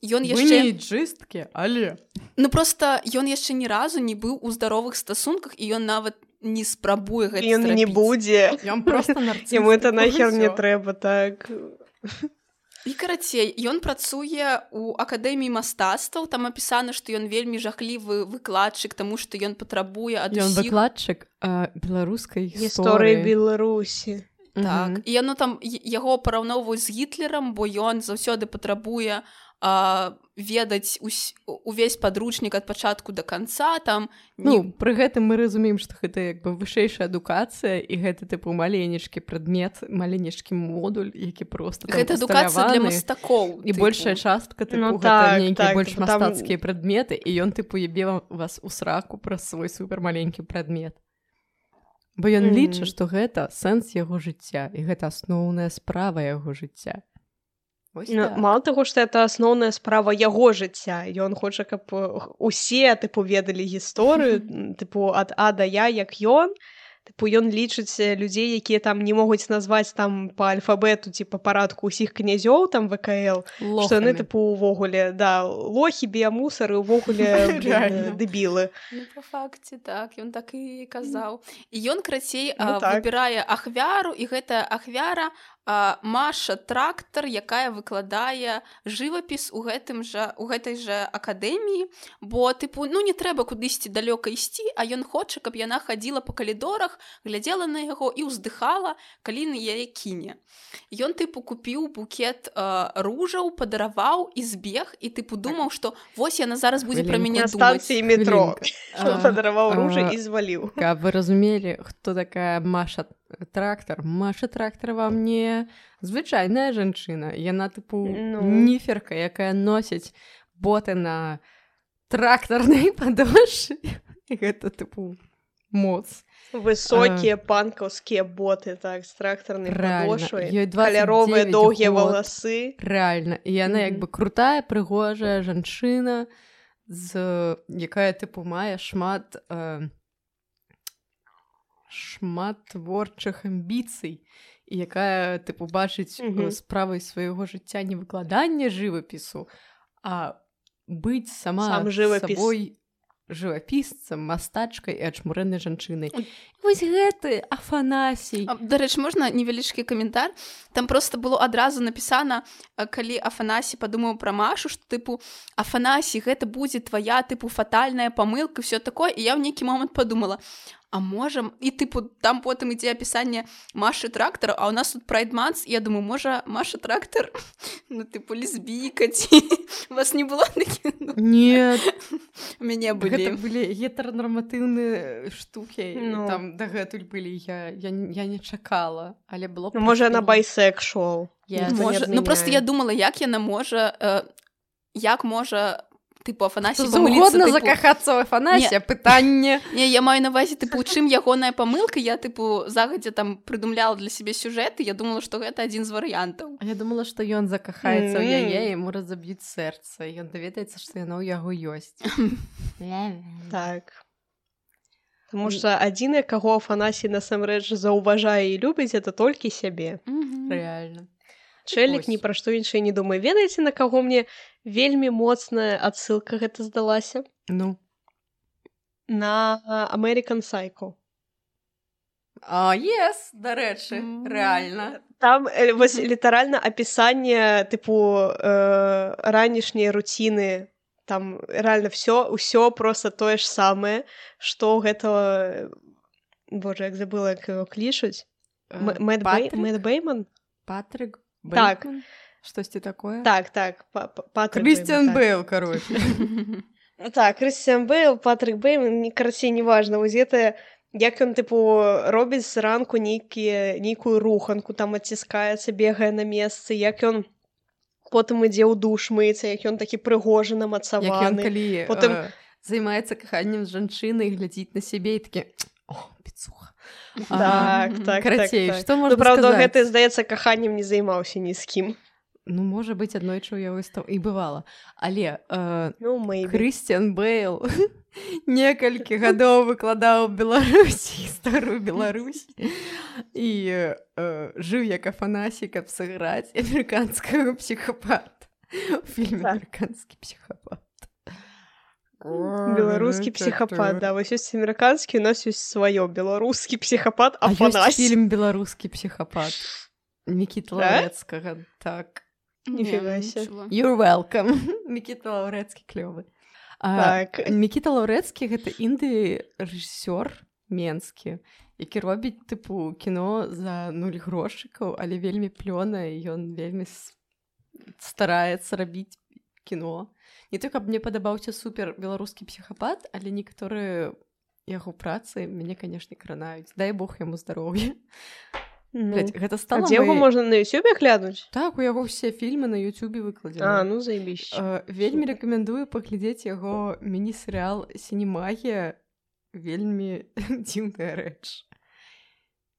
ён яшчэ... Вы не іджысткі, але... Ну, проста ён яшчэ ні разу не быў у здаровых стасунках, і ён нават не спрабуе гэта зрабіць. Ён не будзе. Ён проста нарцыс. Яму это нахер не трэба, так... І карацей, ён працуе ў акадэміі мастацтваў, там апісана, што ён вельмі жахлівы выкладчык, таму што ён патрабуе ад усіх... Ён выкладчык беларускай гісторыі Беларусі. Так, і яно там яго параўноўваюць з Гітлерам, бо ён заўсёды патрабуе ведаць увесь падручнік ад пачатку да канца, там... Ну, пры гэтым мы разумеем, што гэта як бы вышэйшая адукацыя, і гэта тыпу маленечкі прадмет, маленечкі модуль, які проста там гэта адукацыя для мастакоў. І большая частка тыпу гэта нейкія больш мастацкія прадметы, і ён тыпу ебе вас у сраку праз свой супермаленькі прадмет. Бо ён лічыць, што гэта сэнс яго жыцця, і гэта асноўная справа яго жыцця. Так. Мало таго, што это асноўная справа яго жыцця. Ён хоча, каб усе, тыпу, ведалі гісторыю, тыпу, ад А да Я, як ён. Тыпу, ён лічыць людзей, якія там не могуць назваць там па альфабету ці па парадку ўсіх князёў, там ВКЛ, што яны, тыпу, увогуле, да, лохі, біямусары, увогуле, дэбілы. Ну, па факце, так, ён так і казаў. І ён, крацей, выбірае ахвяру, і гэтая ахвяра Маша Трактар, якая выкладае жывапіс у гэтай жа акадэміі, бо, тыпу, ну, не трэба кудысьці далёка ісці, а ён хоча, каб яна хадзіла па калідорах, глядзела на яго і ўздыхала, калі на яе кіне. Ён, тыпу, купіў букет ружаў, падараваў і збег, і, тыпу, думаў, што вось яна зараз будзе пра мяне думаць. На станцыі метро. Падараваў ружы і зваліў. Каб вы разумелі, хто такая Маша Трактар? Маша Трактар вам не звычайная жанчына. Яна, тыпу, ніферка, якая носіць боты на трактарнай падошве. І гэта, тыпу, моц. Высокія панкаўскія боты, так, з трактарнай падошвай. Каляровыя доўгія валасы. Рэальна. І яна, як бы, крутая, прыгожая жанчына, якая, тыпу, мае шмат творчых амбіцый, і якая, тыпу, бачыць справай свайго жыцця не выкладанне жывапісу, а быць сама сабой жывапісцам, мастачкай і ачмурэнай жанчынай. Вось гэты Афанасій. Дарэчы, можна невялічкі каментар? Там проста было адразу напісана, калі Афанасій падумаў пра Машу, што, тыпу, Афанасій, гэта будзе твая, тыпу, фатальная памылка, всё такое, і я ў нейкі момант падумала, а можам, і, тыпу, там потым ідзе апісанне Машы Трактар, а ў нас тут прайд-манс, і я думаю, можа, Маша Трактар, ну, тыпу, лесбійка, ці у вас не было такіх? Нет. У мяне былі. Гэта былі гетаранарматыўныя штукі, там дагэтуль былі, я не чакала, але было... Можа, яна байсексуал. Ну, проста я думала, як яна можа, як можа... Тыпу, Афанасій памыліцца, тыпу... закахацца ў Афанасія, пытанне. Не, я маю на ўвазе, тыпу, у чым ягоная памылка, я, тыпу, загадзя там прыдумляла для сябе сюжэт, і я думала, што гэта адзін з варыянтаў. А я думала, што ён закахаецца ў яе, яму разаб'юць сэрца, і ён даведаецца, што яно ў яго ёсць. Так. Таму што адзінае, каго Афанасій насамрэч заўважае і любіць, это толькі сябе. Рэальна. Чэлік ні пра што іншае не думае. Ведаеце, на каго мне вельмі моцная адсылка гэта здалася? Ну? На American Psycho. Yes, дарэчы, рэальна. Там вось літаральна апісанне тыпу ранішняй руціны. Там реально ўсё просто тое ж самае, што гэта... Боже, як забыла, як яго клічуць. Мэтт Бэйман? Патрик Бэйман? Так. Штосьці такое? Так. Крістіан Бэйл, короче. Так, Крістіан Бэйл, Патрик Бэйман, карацей, неважна. Вось гэта, як ён, тыпу, робіць зранку нейкую руханку, там адціскаецца, бегае на месцы, як ён потым ідзе ў душ мыцца, як ён такі прыгожы намацаваны. Як ён, калі займаецца каханнем з жанчынай, глядзіць на сябе і такі, піцуха. Так. Карацей, што можна сказаць? Правда, гэта, здаецца, каханнем не займаўся ні з кім. Ну, можа быць, аднойчы ў яго і бывала. Але Крістіан Бэйл некалькі гадоў выкладаў Беларусі, гісторыю Беларусі, і жыў як Афанасій, каб сыграць амерыканскага псіхапата у фільме «Амерыканскі псіхапат». Беларускі псіхапат, да, вось ёсць амерыканскі, у нас ёсць сваё, беларускі псіхапат Афанасій. А ёсць фільм «Беларускі псіхапат» Мікіты Лаўрэцкага, так. Ніфіга сі. You're welcome. Мікіта Лаўрэцкі клёвы. Мікіта Лаўрэцкі — гэта інды-рэжысёр менскі, які робіць, тыпу, кіно за 0 грошыкаў, але вельмі плёна, і ён вельмі стараецца рабіць кіно. Не то, каб мне падабаўся супер беларускі псіхапат, але некаторыя яго працы мяне, канешне, кранаюць. Дай Бог яму здароўя. Гэта стала дзе яго можна на Ютубе глянуць? Так, у яго ўсе фільмы на Ютубе выкладзены. Ну заебісь. Вельмі рэкамендую паглядзець яго міні-серыял «Сінемагія». Вельмі дзіўная рэч.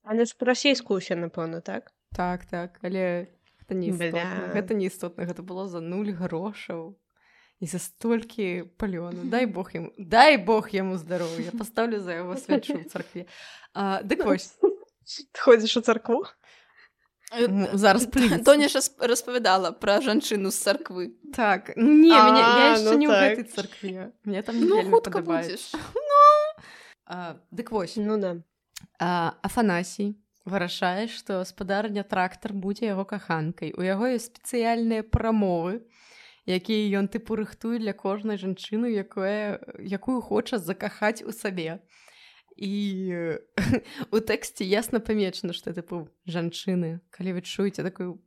Але ж па-расейску ўсе, напэўна, так? Так, але гэта не істотна. Гэта не істотна, гэта было за 0 грошаў. І за столькі палёну. Дай Бог яму здароўя. Паставлю за яго свячу ў царкве. Дык вось. Ты ходзіш у царкву? Зараз плюнецца. Тоня ж распавядала пра жанчыну з царквы. Так. Не, я яшчэ не ў гэтай царкве. Мне там вельмі падабаецца. Дык вось. Ну да. Афанасій вырашае, што спадарня трактар будзе яго каханкай. У яго ёсць спецыяльныя прамовы, якія ён, тыпу, рыхтуе для кожнай жанчыны, якую хоча закахаць у сабе. І у тэксце ясна памечана, што, тыпу, жанчыны, калі вы чуеце такую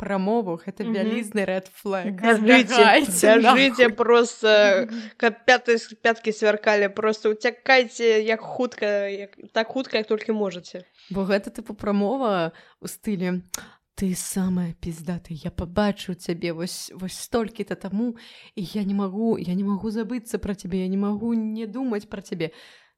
прамову, гэта вялізны red flag. Бяжыце просто, каб пяткі свяркалі, просто уцякайце так хутка, як толькі можаце. Бо гэта, тыпу, прамова ў стылі «Ты самая пиздатая, я побачу цябе вось столькі-то таму, і я не магу забыцца пра цябе, я не магу не думаць пра цябе.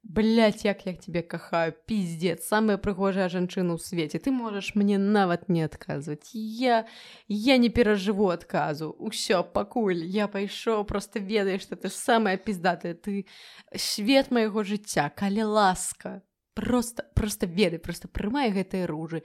Блядь, як я тебе кахаю, пиздец, самая прыгожая жанчына ў свеце. Ты можаш мне нават не адказваць. Я не перажыву адказу. Усё, пакуль я пайшоў, просто ведаеш, што ты самая пиздатая. Ты свет майго жыцця, калі ласка. Просто ведай, просто прымай гэтыя ружы.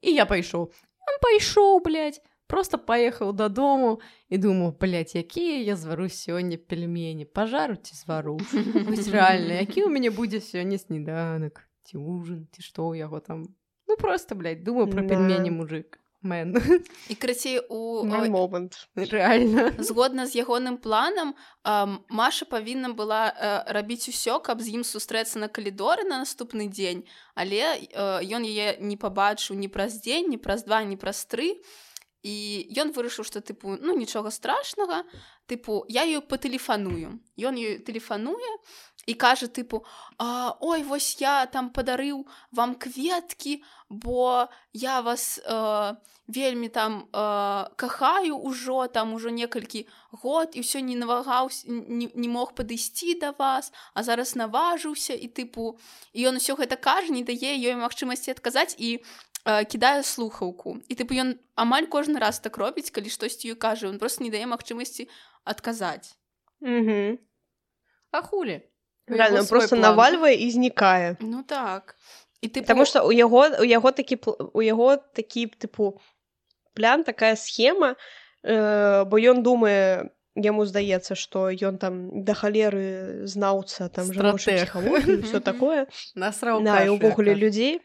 І я пайшоў. Он пайшоў, блядь. Просто паехаў дадому і думаў, блядь, якія я звару сёння пельмені, пажару ці звару. Вось рэальна, які ў мяне будзе сёння сніданак, ці ужин, ці што ў яго там. Ну просто, блядь, думаў пра пельмені мужик. Мэн. І крацей момант. Реально. Згодна з ягоным планам, Маша павінна была рабіць усё, каб з ім сустрэцца на калідоры на наступны дзень, але ён яе не пабачыў ні праз дзень, ні праз 2, ні праз 3. І ён вырашыў, што, тыпу, ну, нічога страшнага, тыпу, я ёй патэлефаную. Ён ёй тэлефануе і кажа, тыпу, ой, вось я там падарыў вам кветкі, бо я вас вельмі там кахаю ўжо, там ужо некалькі год, і ўсё не навагаўся, не мог падысці да вас, а зараз наважыўся, і, тыпу, і ён усё гэта кажа, не дае ёй магчымасці адказаць, і кідае слухаўку. І, тыпу, ён амаль кожны раз так робіць, калі штосьці ёй кажа, ён просто не дае магчымасці адказаць. А хулі? Реально, просто навальвае і знікае. Ну так. І, тыпу... Таму што у яго такі, тыпу, план, такая схема, бо ён думае, яму здаецца, што ён там да халеры знаўца там жаночай псіхалогіі, ўсё такое. Насраў кашу. Да, і ўвогуле людзей.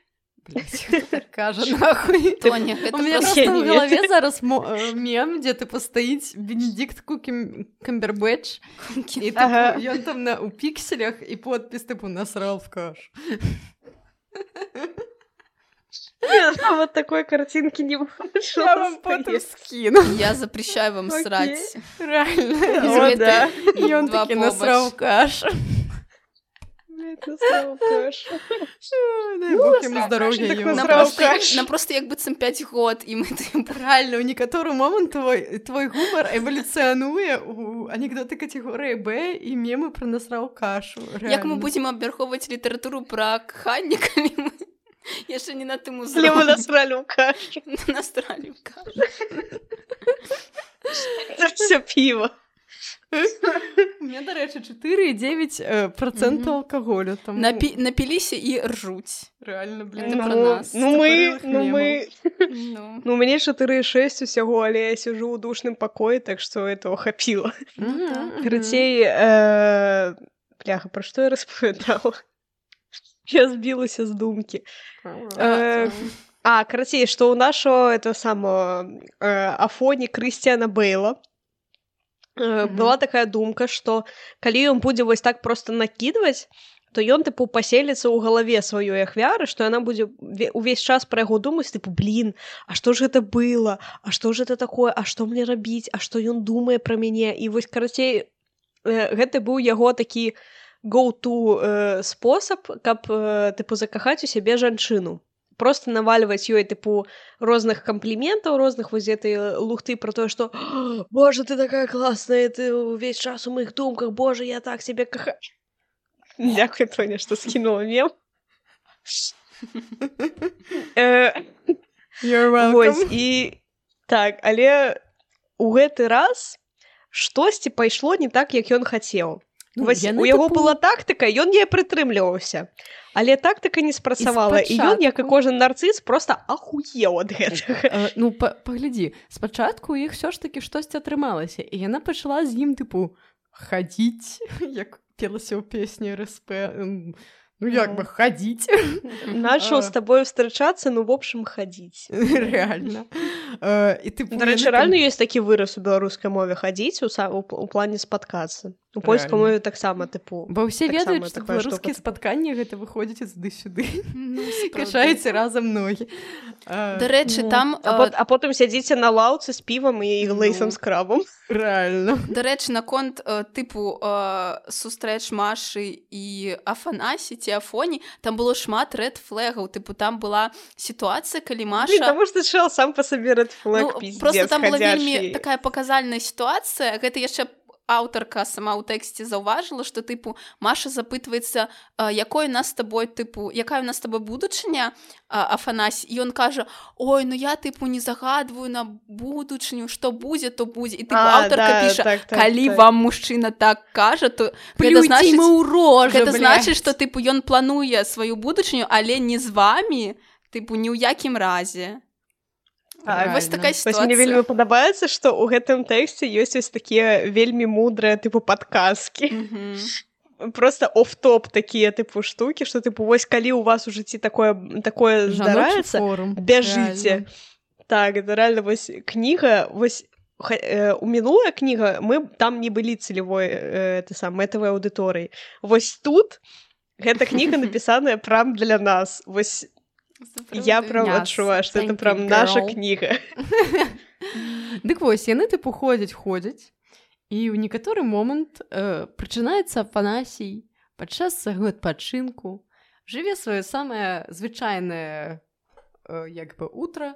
Кажа, нахуй. Тоня, у меня просто в голове зараз мем, где типа стоит Бенедикт Камбербэтч, и он там у пикселях, и подпись типа «Насрал в кашу». Вот такой картинки не выходит. Я вам потом скину. Я запрещаю вам срать. Реально. О, да. И он таки «Насрал в кашу». Дай бог ему здоров'я його. Нам просто як быццам 5 год, і мы реально, у некаторы момант твой гумар эвалюцыянуе у анекдоты катэгорыі Б і мемы пра насраў кашу. Як мы будзем абмяркоўваць літаратуру пра кханне, калі мы яшчэ не на тым узроўні. Мы насралі ў кашу. Насралі ў кашу. Это всё піва. У меня, дарэчы, 4,9% алкаголю. Напіліся і ржуць. Реально, блин, это про нас. Ну, у мяне 4,6 усяго, але я сижу ў душным пакоі, так што этого хапіла. Карацей, бляха, пра што я распавядала? Я збілася з думкі. Карацей, што ў нашого Афоні Крысціяна Бейла была такая думка, што калі ён будзе вось так проста накідваць, то ён, тыпу, паселіцца ў галаве сваёй ахвяры, што яна будзе увесь час пра яго думаць, тыпу, блін, а што ж гэта было? А што ж гэта такое? А што мне рабіць? А што ён думае пра мяне? І вось, карацей, гэта быў яго такі go-to спосаб, каб, тыпу, закахаць у сябе жанчыну. Просто наваливать ёй, типу, розных комплиментаў, розных вось этой лухты про то, что «Боже, ты такая классная, ты весь час у моих думках, боже, я так себе кахаю». Дякую, Тоня, что скинула мем. You're welcome. Вось, і так, але у гэты раз штосьці пайшло не так, як ён хацеў. Вось, у яго была тактыка, ён не прытрымліваўся. Але тактыка не спрацавала, і ён, як і кожен нарцыс, проста ахуеў ад гэтага. Ну, паглядзі, спачатку у іх ўсё ж такі штосьці атрымалася, і яна пачала з ім, тыпу, хадзіць, як пелася ў песні РСП, ну, як бы, хадзіць. Начал з табою встречацца, ну, в общем, хадзіць. Реально. Дарэчы, реально ёсць такі выраз у беларускай мове хадзіць у плане спаткацца. У польскай мове таксама, тыпу. Бо ўсе ведаюць, што беларускія спатканні гэта выходзіць туды-сюды. Кашаеце разам ногі. Дарэчы, там... А потым сядзіце на лаўцы з півам і лейсам з крабам. Реально. Дарэчы, наконт, тыпу, сустрэч Машы і Афанасі ці Афоні, там было шмат рэд-флэгаў. Тыпу, там была сітуацыя, калі Маша... Таму што чэл сам па сабе рэд-флэг, пиздец, просто там была вельмі такая паказальная сітуацыя. Гэта яшчэ аўтарка сама ў тэксце заўважыла, што, тыпу, Маша запытваецца, якая у нас з табой будучыня, Афанасі, і ён кажа, ой, ну я, тыпу, не загадваю на будучыню, што будзе, то будзе. І, тыпу, аўтарка піша, калі вам мужчына так кажа, то гэта значыць, што, тыпу, ён плануе сваю будучыню, але не з вамі, тыпу, ні ў якім разе. Вось такая сітуацыя. Мне вельмі падабаецца, што ў гэтым тэксце ёсць вось такія вельмі мудрыя, тыпу, падказкі. Просто оф-топ такія, тыпу, штукі, што, тыпу, вось калі ў вас у жыцці такое здараецца, бяжыце. Так, это реально вось кніга, вось у мінулая кніга, мы там не былі цэлевой мэтавай аўдыторыяй. Вось тут гэта кніга напісаная прям для нас. Вось я прям адчуваю, што это прям наша кніга. Дык вось, яны, тыпу, ходзяць, і ў некаторы момант прачынаецца Афанасій падчас свайго адпачынку, жыве сваё самае звычайнае, як бы, утро,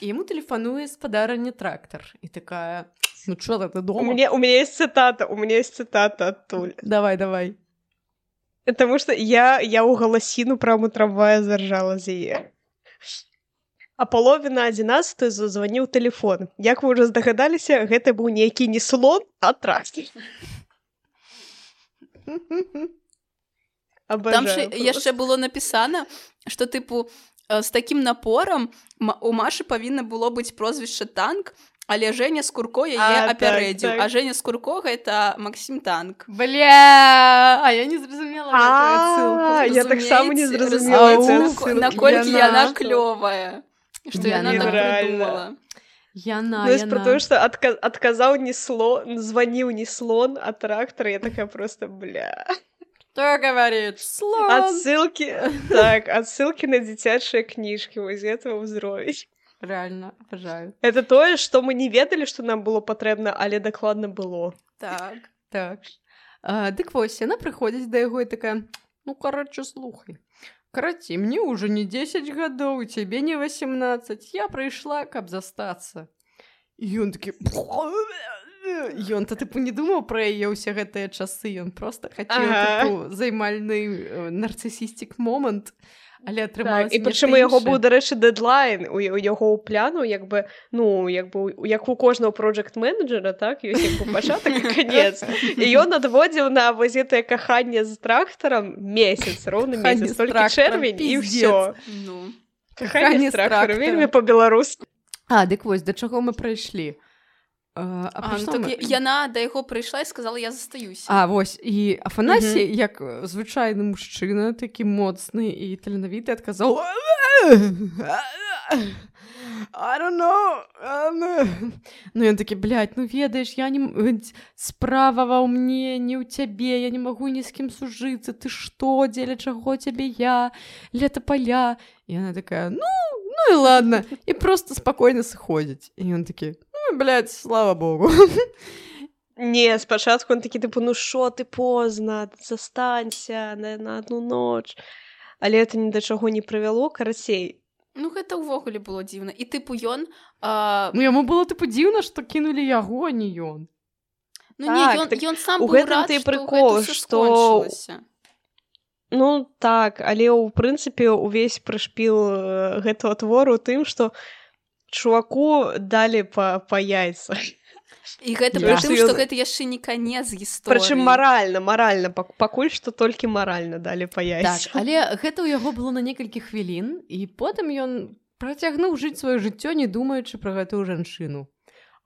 і яму тэлефануе спадарня трактар. І такая, ну чё ты дома? У меня есть цитата адтуль. Давай. Потому что я ў галасіну прямо трамвая заржала з яе. А половина 11 зазваніў тэлефон. Як вы ўжо здагадаліся, гэта быў нейкі не слон, а трактар. Там яшчэ было напісана, што, тыпу, з такім напорам у Машы павінна было быць прозвішча Танк, Але Женя Скурко яе апярэдзіў, а Женя Скурко гэта Максім Танк. Бля, а я не зразумела гэтую адсылку. Я таксама не зразумела гэтую адсылку. Наколькі яна клёвая, што яна так прыдумала. Яна. Про то, что отказал не слон, звонил не слон, а трактор, я такая просто, бля. Кто говорит? Слон. Отсылки на дзіцячыя кніжкі, вось этого ўзровень. Реально, обожаю. Это тое, што мы не ведалі, што нам было патрэбна, але дакладна было. Так. Дык вось, яна прыходзіць да яго і такая, ну, короче, слухай. Караці, мне уже не 10 гадоў, тебе не 18. Я прыйшла, каб застацца. І ён такі... Ён-то, тыпу, не думаў пра яе ўсе гэтыя часы. Ён просто хацеў, тыпу, займальны нарцысістик момант. Але атрымалася і прычым у яго быў, дарэчы, дэдлайн, у яго ў пляну, як у кожнага проджект-менеджера, так, ёсць як бы пачатак і канец. І ён адводзіў на вось гэтае каханне з трактарам месяц, роўны месяц, толькі чэрвень і ўсё. Каханне з трактарам, вельмі па-беларуску. Дык вось, да чаго мы прайшлі? Яна да яго прыйшла і сказала, я застаюся. Вось, і Афанасій, як звычайны мужчына, такі моцны і таленавіты, адказаў I don't know. Ну, ён такі, блядь, ну ведаеш, я не... Справа ва мне, не ў цябе, я не магу ні з кім сужыцца, ты што, дзеля чаго цябе я, лета поля. І яна такая, ну і ладно, і просто спакойна сыходзіць. І ён такі, блядь, слава богу. Не, спачатку он такі, тыпу, ну шо ты позна, застанься на одну ноч. Але это ні да чаго не прывяло, карацей. Ну, гэта ўвогуле было дзіўна. І тыпу ён... Ну, яму было, тыпу, дзіўна, што кінулі яго, а не ён. Ну, не, ён сам быў рад, што гэта ўсё скончылася. Ну, так, але, ў прынцыпе, увесь прышпіл гэтага твору тым, што чуваку далі па яйцах. І гэта пры тым, што гэта яшчэ не канец гісторыі. Прычым маральна, пакуль што толькі маральна далі па яйцах. Так, але гэта ў яго было на некалькі хвілін, і потым ён працягнуў жыць сваё жыццё, не думаючы пра гэтую жанчыну.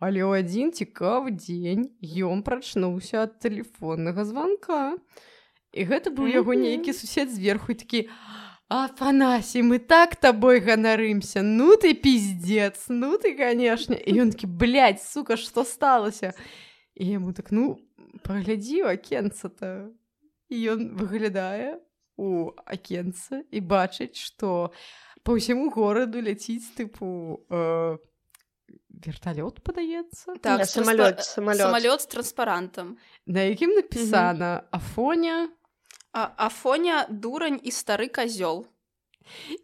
Але ў адзін цікавы дзень ён прачнуўся ад тэлефоннага званка. І гэта быў яго нейкі сусед зверху і такі: Афанасій, мы так табой ганарымся, ну ты пиздец, ну ты, конечно. І ён такі, блядь, сука, што сталася? І яму так, ну, паглядзі ў акенца-то. І ён выглядае у акенца і бачыць, што па ўсяму гораду ляціць, тыпу, верталёт, падаецца? Так, самалёт з транспарантам. На якім напісана Афоня... Афоня, дурань і стары козёл.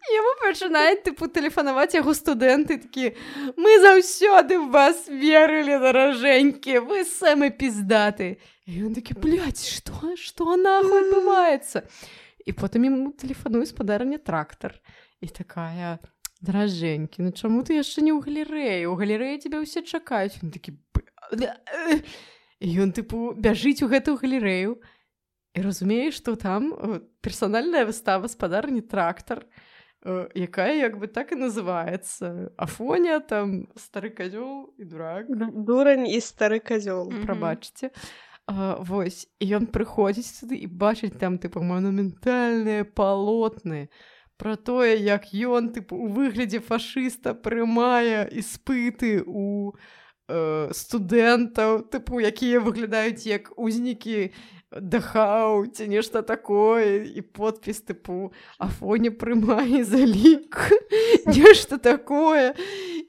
Яму пачынаюць, тыпу, тэлефанаваць яго студэнты, такі: мы заўсёды в вас верылі, даражэнькі, вы самы пиздаты. І ён такі: блядь, што нахуй адбываецца? І потым яму тэлефануе спадарня трактар. І такая: даражэнькі, ну чаму ты яшчэ не ў галерэі? У галерэі цябе ўсе чакаюць. Ён такі: і ён, тыпу, бяжыць у гэтую галерэю. І разумееш, што там персанальная выстава спадарні трактар, якая як бы так і называецца. Афоня, там, стары козёл і дурак. Дурань і стары козёл. Прабачце. Вось. І ён прыходзіць сюды і бачыць там, тыпу, манументальныя палотны пра тое, як ён, тыпу, у выглядзе фашыста прымае іспыты у студэнтаў, тыпу, якія выглядаюць як узнікі Дахау, ці нешта такое, і подпіс, тыпу, Афоня прымае залік, нешта такое.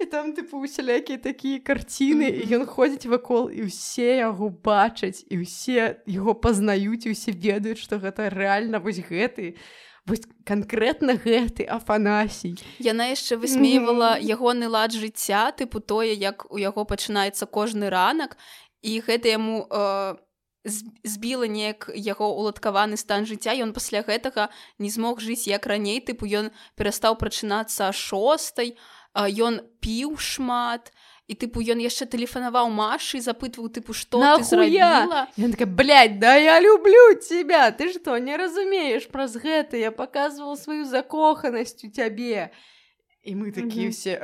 І там, тыпу, усялякія такія карціны, і ён ходзіць вакол, і ўсе яго бачаць, і ўсе яго пазнаюць, і ўсе ведаюць, што гэта рэальна вось гэты, вось канкрэтна гэты Афанасій. Яна яшчэ высмейвала ягоны лад жыцця, тыпу тое, як у яго пачынаецца кожны ранак, і гэта яму збіла неяк яго уладкаваны стан жыцця, ён пасля гэтага не змог жыць як раней, тыпу ён перастаў прачынацца о 6:00, ён піў шмат, і тыпу ён яшчэ тэлефанаваў Машы, запытваў, тыпу, што ты зрабіла? Ён такая: блядь, да я люблю тебя, ты што, не разумееш, праз гэта я паказвала сваю закоханасць у цябе. І мы такія ўсе: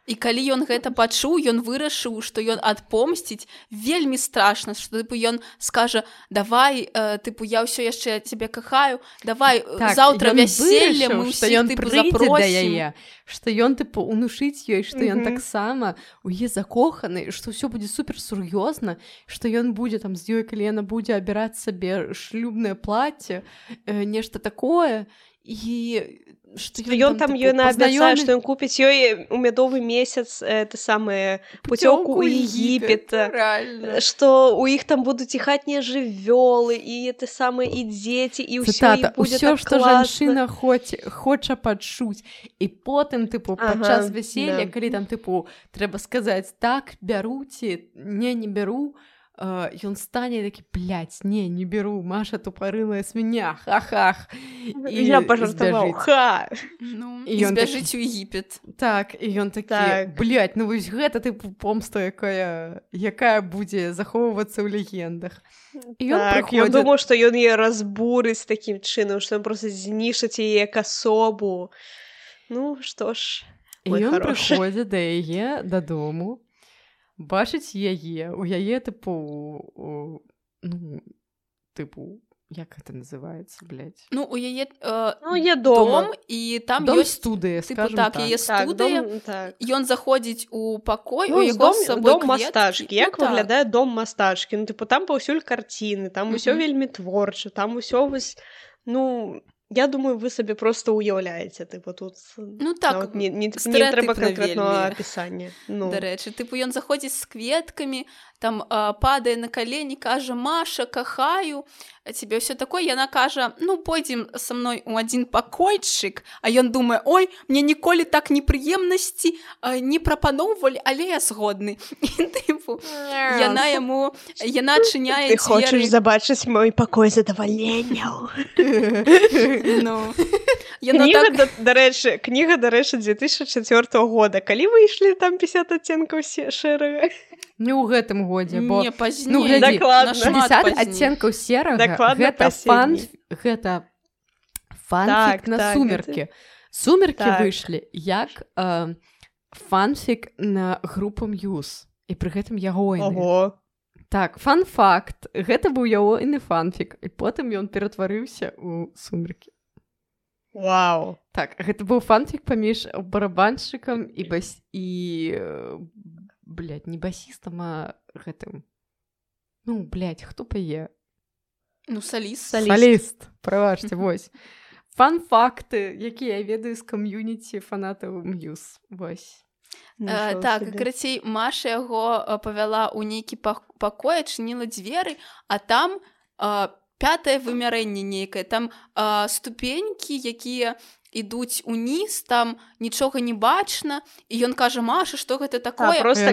І калі ён гэта пачуў, ён вырашыў, што ён адпомсціць. Вельмі страшна, што тыпу ён скажа: давай, тыпу, я ўсё яшчэ цябе кахаю, давай, заўтра вяселле, мы ўсіх тыпу запросім. Што ён тыпу унушыць ёй, што ён таксама у яе закоханы, што ўсё будзе супер сур'ёзна, што ён будзе там з ёй, калі яна будзе абіраць сабе шлюбнае плацце, нешта такое. І што ён там ёй наабяцае, што ён купіць ёй у мядовы месяц это самае пуцёўку ў Егіпет, што ў іх там будуць і хатнія жывёлы, і это самае і дзеці, і ўсё і будзе так класна. Усё, што жанчына хоча пачуць. І потым, тыпу, падчас вяселля, калі там, тыпу, трэба сказаць: так, бяру ці не бяру, ён стане такі: блядь, не беру, Маша тупорылая свинья, ха-хах. Я пожартаваў, ха! Ну, і збяжыць у Егіпет. Так, і ён такі: блядь, ну вось гэта тыпу помста, якая будзе захоўвацца ў легендах. І ён прыходзіць... Ён думаў, што ён яе разбурыць такім чынам, што ён проста знішыць яе як асобу. Ну, што ж, мой хорошы. І ён прыходзіць да яе дадому, бачыць яе, у яе, тыпу, ну, тыпу, як гэта называецца, блядь? Ну, у яе дом, і там дом ёсць студыя, скажем так. Яе студыя, ён заходзіць у пакой, у яго з сабой дом мастачкі. Як выглядае дом мастачкі? Ну, тыпу, там паўсюль карціны, там усё вельмі творча, там усё вось, ну... Я думаю, вы сабе просто уяўляеце, тыпу, тут... Ну так, не трэба канкрэтнага апісання. Дарэчы, тыпу, ён заходзіць з кветкамі, там падае на калені, кажа: Маша, кахаю цябе, ўсё такое. Яна кажа: ну, пойдзем са мной у адзін пакойчык. А ён думае: ой, мне ніколі так непрыемнасці не прапаноўвалі, але я згодны. І тыпу, яна адчыняе дзверы. Ты хочаш забачыць мой пакой задавальненняў. Ну, кніга, дарэчы, 2004 года. Калі выйшлі там 50 адценкаў шэрага? Не ў гэтым годзе, бо... Не, пазней. Ну, глядзі, дакладна. 50 адценкаў серага, гэта фанфік на сумеркі. Сумеркі выйшлі як фанфік на групу Мьюз. І пры гэтым ягойны. Ого. Так, фан-факт. Гэта быў ягойны фанфік. І потым ён ператварыўся ў сумеркі. Вау. Так, гэта быў фанфік паміж барабаншчыкам і блядь, не басістам, а гэтым. Ну, блядь, хто пае? Ну, соліст. Соліст, прабачце, вось. Фан-факты, якія я ведаю з кам'юніці фанатаў Мьюз. Вось. Так, карацей, Маша яго павяла ў нейкі пакой, адчыніла дзверы, а там 5-е вымярэнне нейкае, там ступенькі, якія ідуць уніз, там нічога не бачна, і ён кажа: Маша, што гэта такое? Просто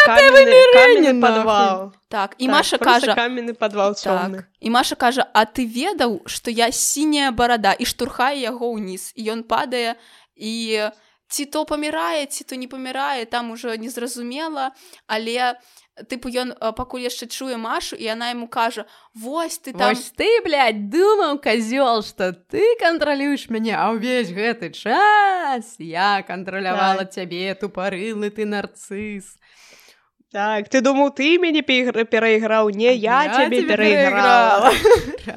каменны падвал. Так, і Маша кажа... Просто каменны падвал цёмны. І Маша кажа: а ты ведаў, што я сіняя барада? І штурхае яго ўніз. І ён падае, і ці то памірае, ці то не памірае, там ужо незразумела, але... Тыпу, ён пакуль яшчэ чуе Машу, і яна яму кажа: вось ты там... Вось ты, блядь, думаў, козёл, што ты кантралюеш мяне, а ўвесь гэты час я кантралявала цябе, тупарылы ты нарцыс. Так, ты думаў, ты мяне перайграў? Не, я цябе перайграла.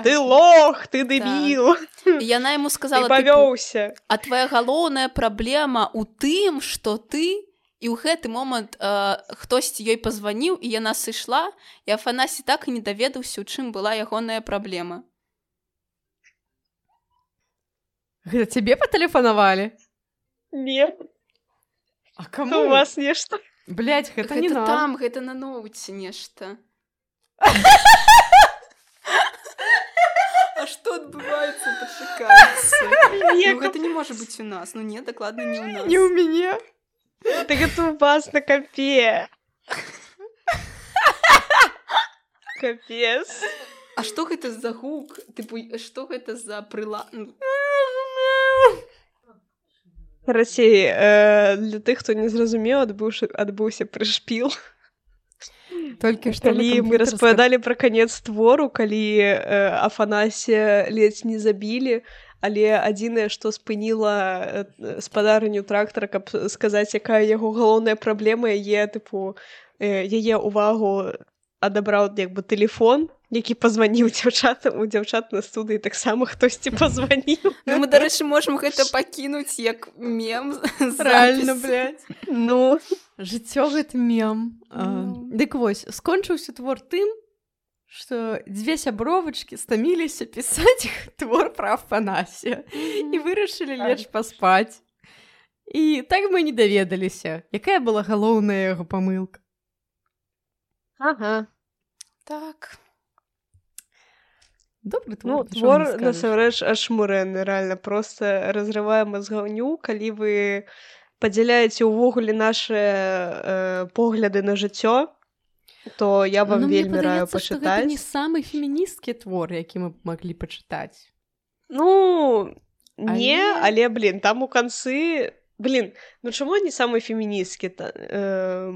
Ты лох, ты дэбіл. Яна яму сказала: ты павёўся. А твая галоўная праблема ў тым, што ты... І ў гэты момант хтосьці ёй пазваніў, і яна сышла, і Афанасі так і не даведаўся, у чым была ягоная праблема. Гэта цябе патэлефанавалі? Не. А каму? У вас нешта. Блядь, гэта не нам. Гэта там, гэта на ноуце нешта. А што адбываецца? Пачакайце. Ну, гэта не можа быць у нас. Ну, не, дакладна не ў нас. Не ў мяне. Так это у вас на компе. Капец. А што гэта за гук? Тыпу, што гэта за прылад? Расей, для тых, хто не зразумеў, адбыўся прышпіл. Толькі што калі мы распавядалі пра канец твору, калі Афанасія ледзь не забілі, але адзінае, што спыніла спадарню трактара, каб сказаць, якая яго галоўная праблема, яе увагу адабраў як бы тэлефон, які пазваніў дзяўчатам, у дзяўчат на студыі таксама хтосьці пазваніў. Ну, мы, дарэчы, можам гэта пакінуць як мем. Рэальна, блядь. Ну, жыццё гэта мем. Дык вось, скончыўся твор тым, што дзве сябровачкі стаміліся пісаць твор пра Афанасія і вырашылі лечь паспаць. І так мы не даведаліся, якая была галоўная яго памылка. Ага. Так. Добры твор. Ну, твор, насамрэч, ашмурэнны, рэальна, проста разрывае мазгаўню, калі вы падзяляеце ўвогуле нашы погляды на жыццё, то я вам вельмі раю пачытаць. Гэта не самы феміністкі твор, які мы маглі пачытаць. Ну, не, але, там у канцы... ну чаму не самы феміністкі?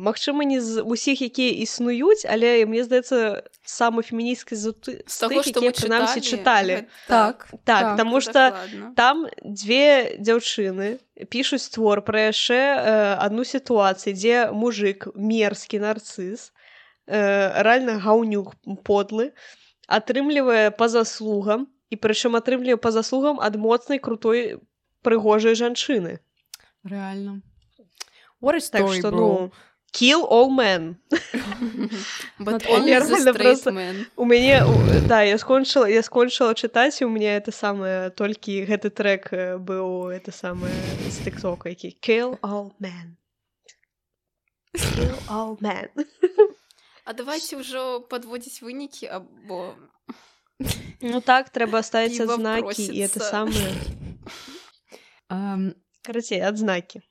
Магчыма, не з усіх, якія існуюць, але, мне здаецца, самы феміністкі з тых, якія прынамсі чыталі. Так, таму што там дзве дзяўчыны пішуць твор пра яшчэ адну сітуацыю, дзе мужик, мерзкі нарцыз, рэальна гаўнюк подлы, атрымлівае па заслугам, і прычым атрымлівае па заслугам ад моцнай, крутой, прыгожай жанчыны. Реально. What a story, так, bro. Kill all men. But only the straight men. У мяне, я скончыла чытаць, і у мяне это самае, толькі гэты трек быў, это самае, з тиктока, які Kill all men. Kill all men. А давайте ўжо падводзіць вынікі, або... Ну так, трэба ставіць адзнакі, і это самае... Карацей, адзнакі.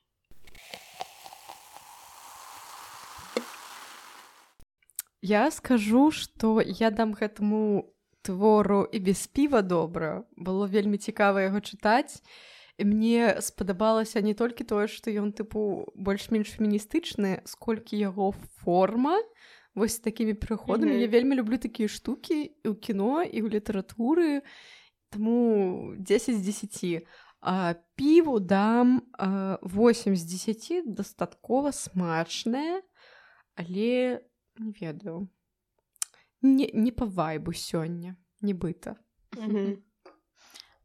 Я скажу, што я дам гэтаму твору і без піва добра. Было вельмі цікава яго чытаць. І мне спадабалася не толькі тое, што ён, больш-менш феміністычны, сколькі яго форма, вось такімі прыходамі. Я вельмі люблю такія штукі і ў кіно, і ў літаратуры. Таму 10 з 10. Піву дам 8 з 10, дастаткова смачнае, але не ведаю. Не па вайбу сёння, нібыта.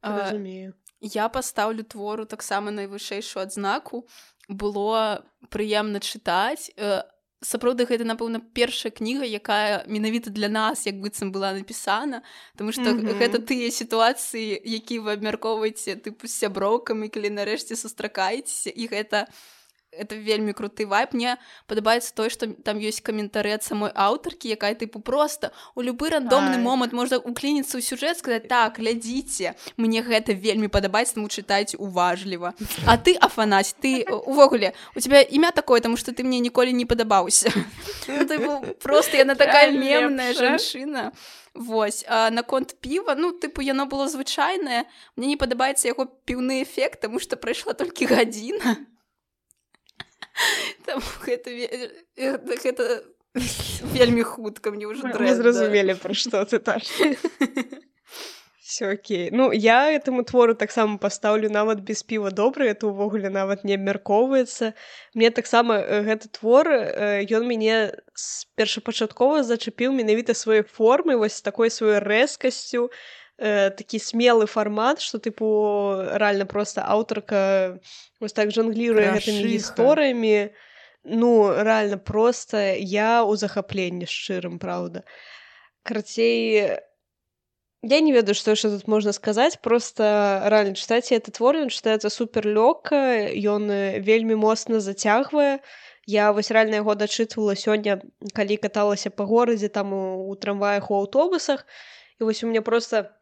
Разумею. Я пастаўлю твору таксама найвышэйшую адзнаку. Было прыемна чытаць. Сапраўды, гэта, напэўна, першая кніга, якая менавіта для нас, як быццам была напісана, тому што гэта тыя сітуацыі, якія вы абмяркоўваеце з сяброўкамі, калі нарэшце сустракаецеся, і гэта вельмі круты вайб. Мне падабаецца тое, што там ёсць каментары ад самой аўтаркі, якая проста у любы рандомны момант можна уклініцца ў сюжэт, сказаць, так, глядзіце, мне гэта вельмі падабаецца, таму чытайце уважліва. А ты, Афанась, ты увогуле, у тебя імя такое, таму што ты мне ніколі не падабаўся. Проста яна такая мемная жанчына. Вось, а наконт піва, яно было звычайнае, мне не падабаецца яго піўны эфект, таму што прайшла толькі гадзіна. Там гэта вельмі хутка, мне ўжо дрэнна. Мы зразумелі, пра што ты так. Всё окей. Ну, я этому твору таксама пастаўлю нават без піва добры, это ўвогуле нават не абмяркоўваецца. Мне таксама гэты твор, ён мяне першапачаткова зачапіў менавіта сваёй формай, вось такой сваёй рэзкасцю, такі смелы фармат, што рэальна проста аўтарка вось так жангліруе гэтымі гісторыямі. Ну, рэальна проста я ў захапленні шчырым, праўда. Карацей, я не ведаю, што яшчэ тут можна сказаць, проста рэальна чытаць этот твор, ён чытаецца супер лёгка, ён вельмі моцна зацягвае. Я вось рэальна яго дачытвала сёння, калі каталася па горадзе, там у трамваях, у аўтобусах, і вось у мяне проста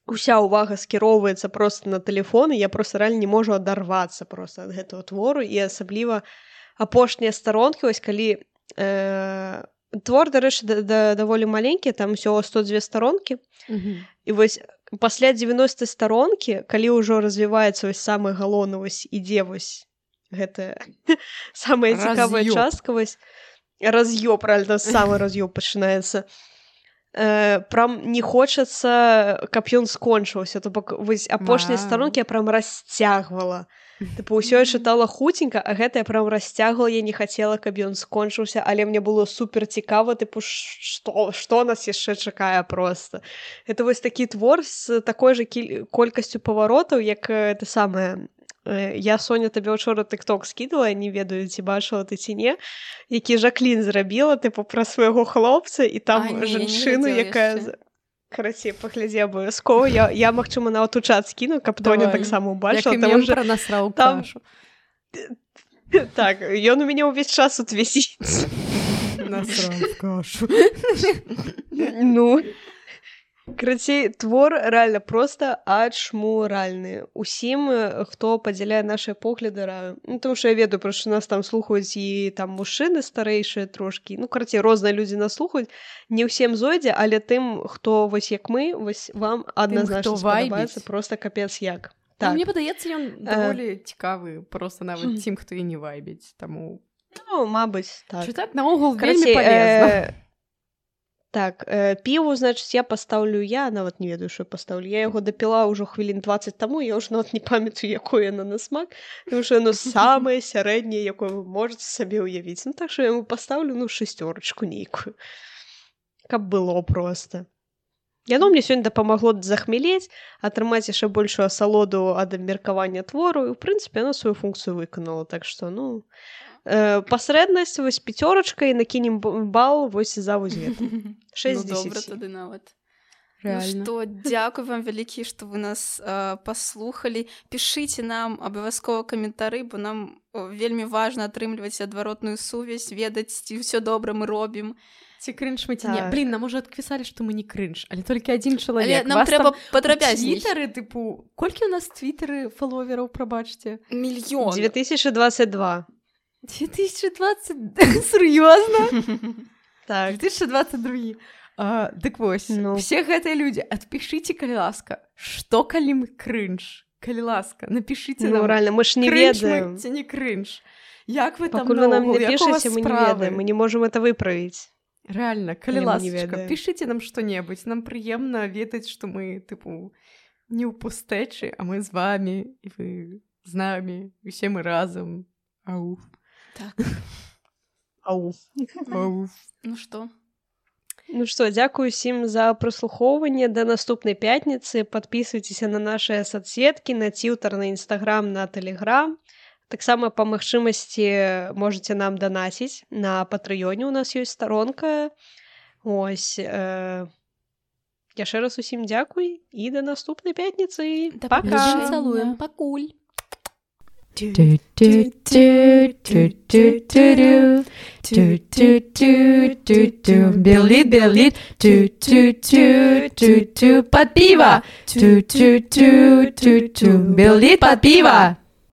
уся ўвага скіроўваецца проста на тэлефон, і я проста рэальна не можу адарвацца проста ад гэтага твору, і асабліва апошнія старонкі, вось калі твор, дарэчы, даволі маленькі, там усё 102 старонкі, і вось пасля 90 старонкі, калі ўжо развіваецца вось самы галоўны, вось ідзе вось гэта самая цікавая частка, вось раз'ёб, правильно, самы раз'ёб пачынаецца. прям не хочацца, каб ён скончыўся. То бок вось апошнія старонкі я прям расцягвала. Тыпу, ўсё я чытала хуценька, а гэта я прям расцягвала, я не хацела, каб ён скончыўся, але мне было супер цікава, тыпу, што нас яшчэ чакае проста. Это вось такі твор з такой жа колькасцю паваротаў, як это самае. Я, Соня, табе ўчора тык-ток скідала, не ведаю, ці бачыла ты ці не, які Жаклін зрабіла, тыпу, пра свайго хлопца, і там жанчыну, якая... Карацей, паглядзі абавязкова. Я, магчыма, нават у чат скіну, каб Тоня таксама убачыла. Як і мем пра насраў кашу. Так, ён у мяне ўвесь час тут вісіць. Насраў кашу. Ну... Карацей, твор рэальна проста ачмуральны. Усім, хто падзяляе нашыя погляды, раю. Ну, тому што я ведаю, што нас там слухаюць і там мужчыны старэйшыя трошкі. Ну, карацей, розныя людзі нас слухаюць. Не ўсім зойдзе, але тым, хто вось як мы, вось вам адназначна спадабаецца проста капец як. Так. Мне падаецца, ён даволі цікавы, проста нават тым, хто і не вайбіць. Таму... Ну, мабыць, так. Чытаць наогул вельмі палезна. Так, піву, значыць, я пастаўлю, я нават не ведаю, што пастаўлю. Я яго дапіла ўжо хвілін 20 таму, я ўжо нават не памятаю, якое яно на смак, тому што яно самае сярэдняе, якое вы можаце сабе ўявіць. Ну, так што я яму пастаўлю, 6 нейкую. Каб было проста. Яно мне сёння дапамагло захмелець, атрымаць яшчэ большую асалоду ад абмеркавання твору, і, ў прынцыпе, яно сваю функцыю выканала. Так што, пасрэднасць, вось 5 і накінем бал вось за вось гэта. 6 10. Ну, добра тады нават. Реально. Ну што, дзякуй вам вялікі, што вы нас паслухалі. Пішыце нам абавязкова каментары, бо нам вельмі важна атрымліваць адваротную сувязь, ведаць, ці ўсё добра мы робім. Ці крынж мы ці не. Блін, нам уже адпісалі, што мы не крынж, але толькі адзін чалавек. Але нам трэба падрабязней. Твітары, тыпу, колькі у нас твітары фаловераў, прабачце? 1 мільён. 2022. 2020? Сур'ёзна? Так. 2022. Дык вось, все гэтыя людзі, адпішыце, калі ласка, што калі мы крынж? Калі ласка, напішыце нам. Ну, рэальна, мы ж не ведаем. Ці не крынж? Як вы там наогул? Пакуль вы нам не пішыце, мы не ведаем, мы не можам это выправіць. Рэальна, калі ласачка, пішыце нам што-небудзь, нам прыемна ведаць, што мы, тыпу, не ў пустэчы, а мы з вамі, і вы з намі, усе мы разам. Ауф. Так. Ауф. Ауф. Ну што? Ну што, дзякую усім за праслухоўванне. Да наступнай пятніцы. Падпісвайцеся на нашыя соцсеткі, на Твіттер, на Інстаграм, на Тэлеграм. Таксама па магчымасці можаце нам данаціць. На Патрыёне у нас ёсць старонка. Ось. Яшчэ раз усім дзякуй і да наступнай пятніцы. Пака. Цалуем. Пакуль. Белит, под пиво. Белит под пиво.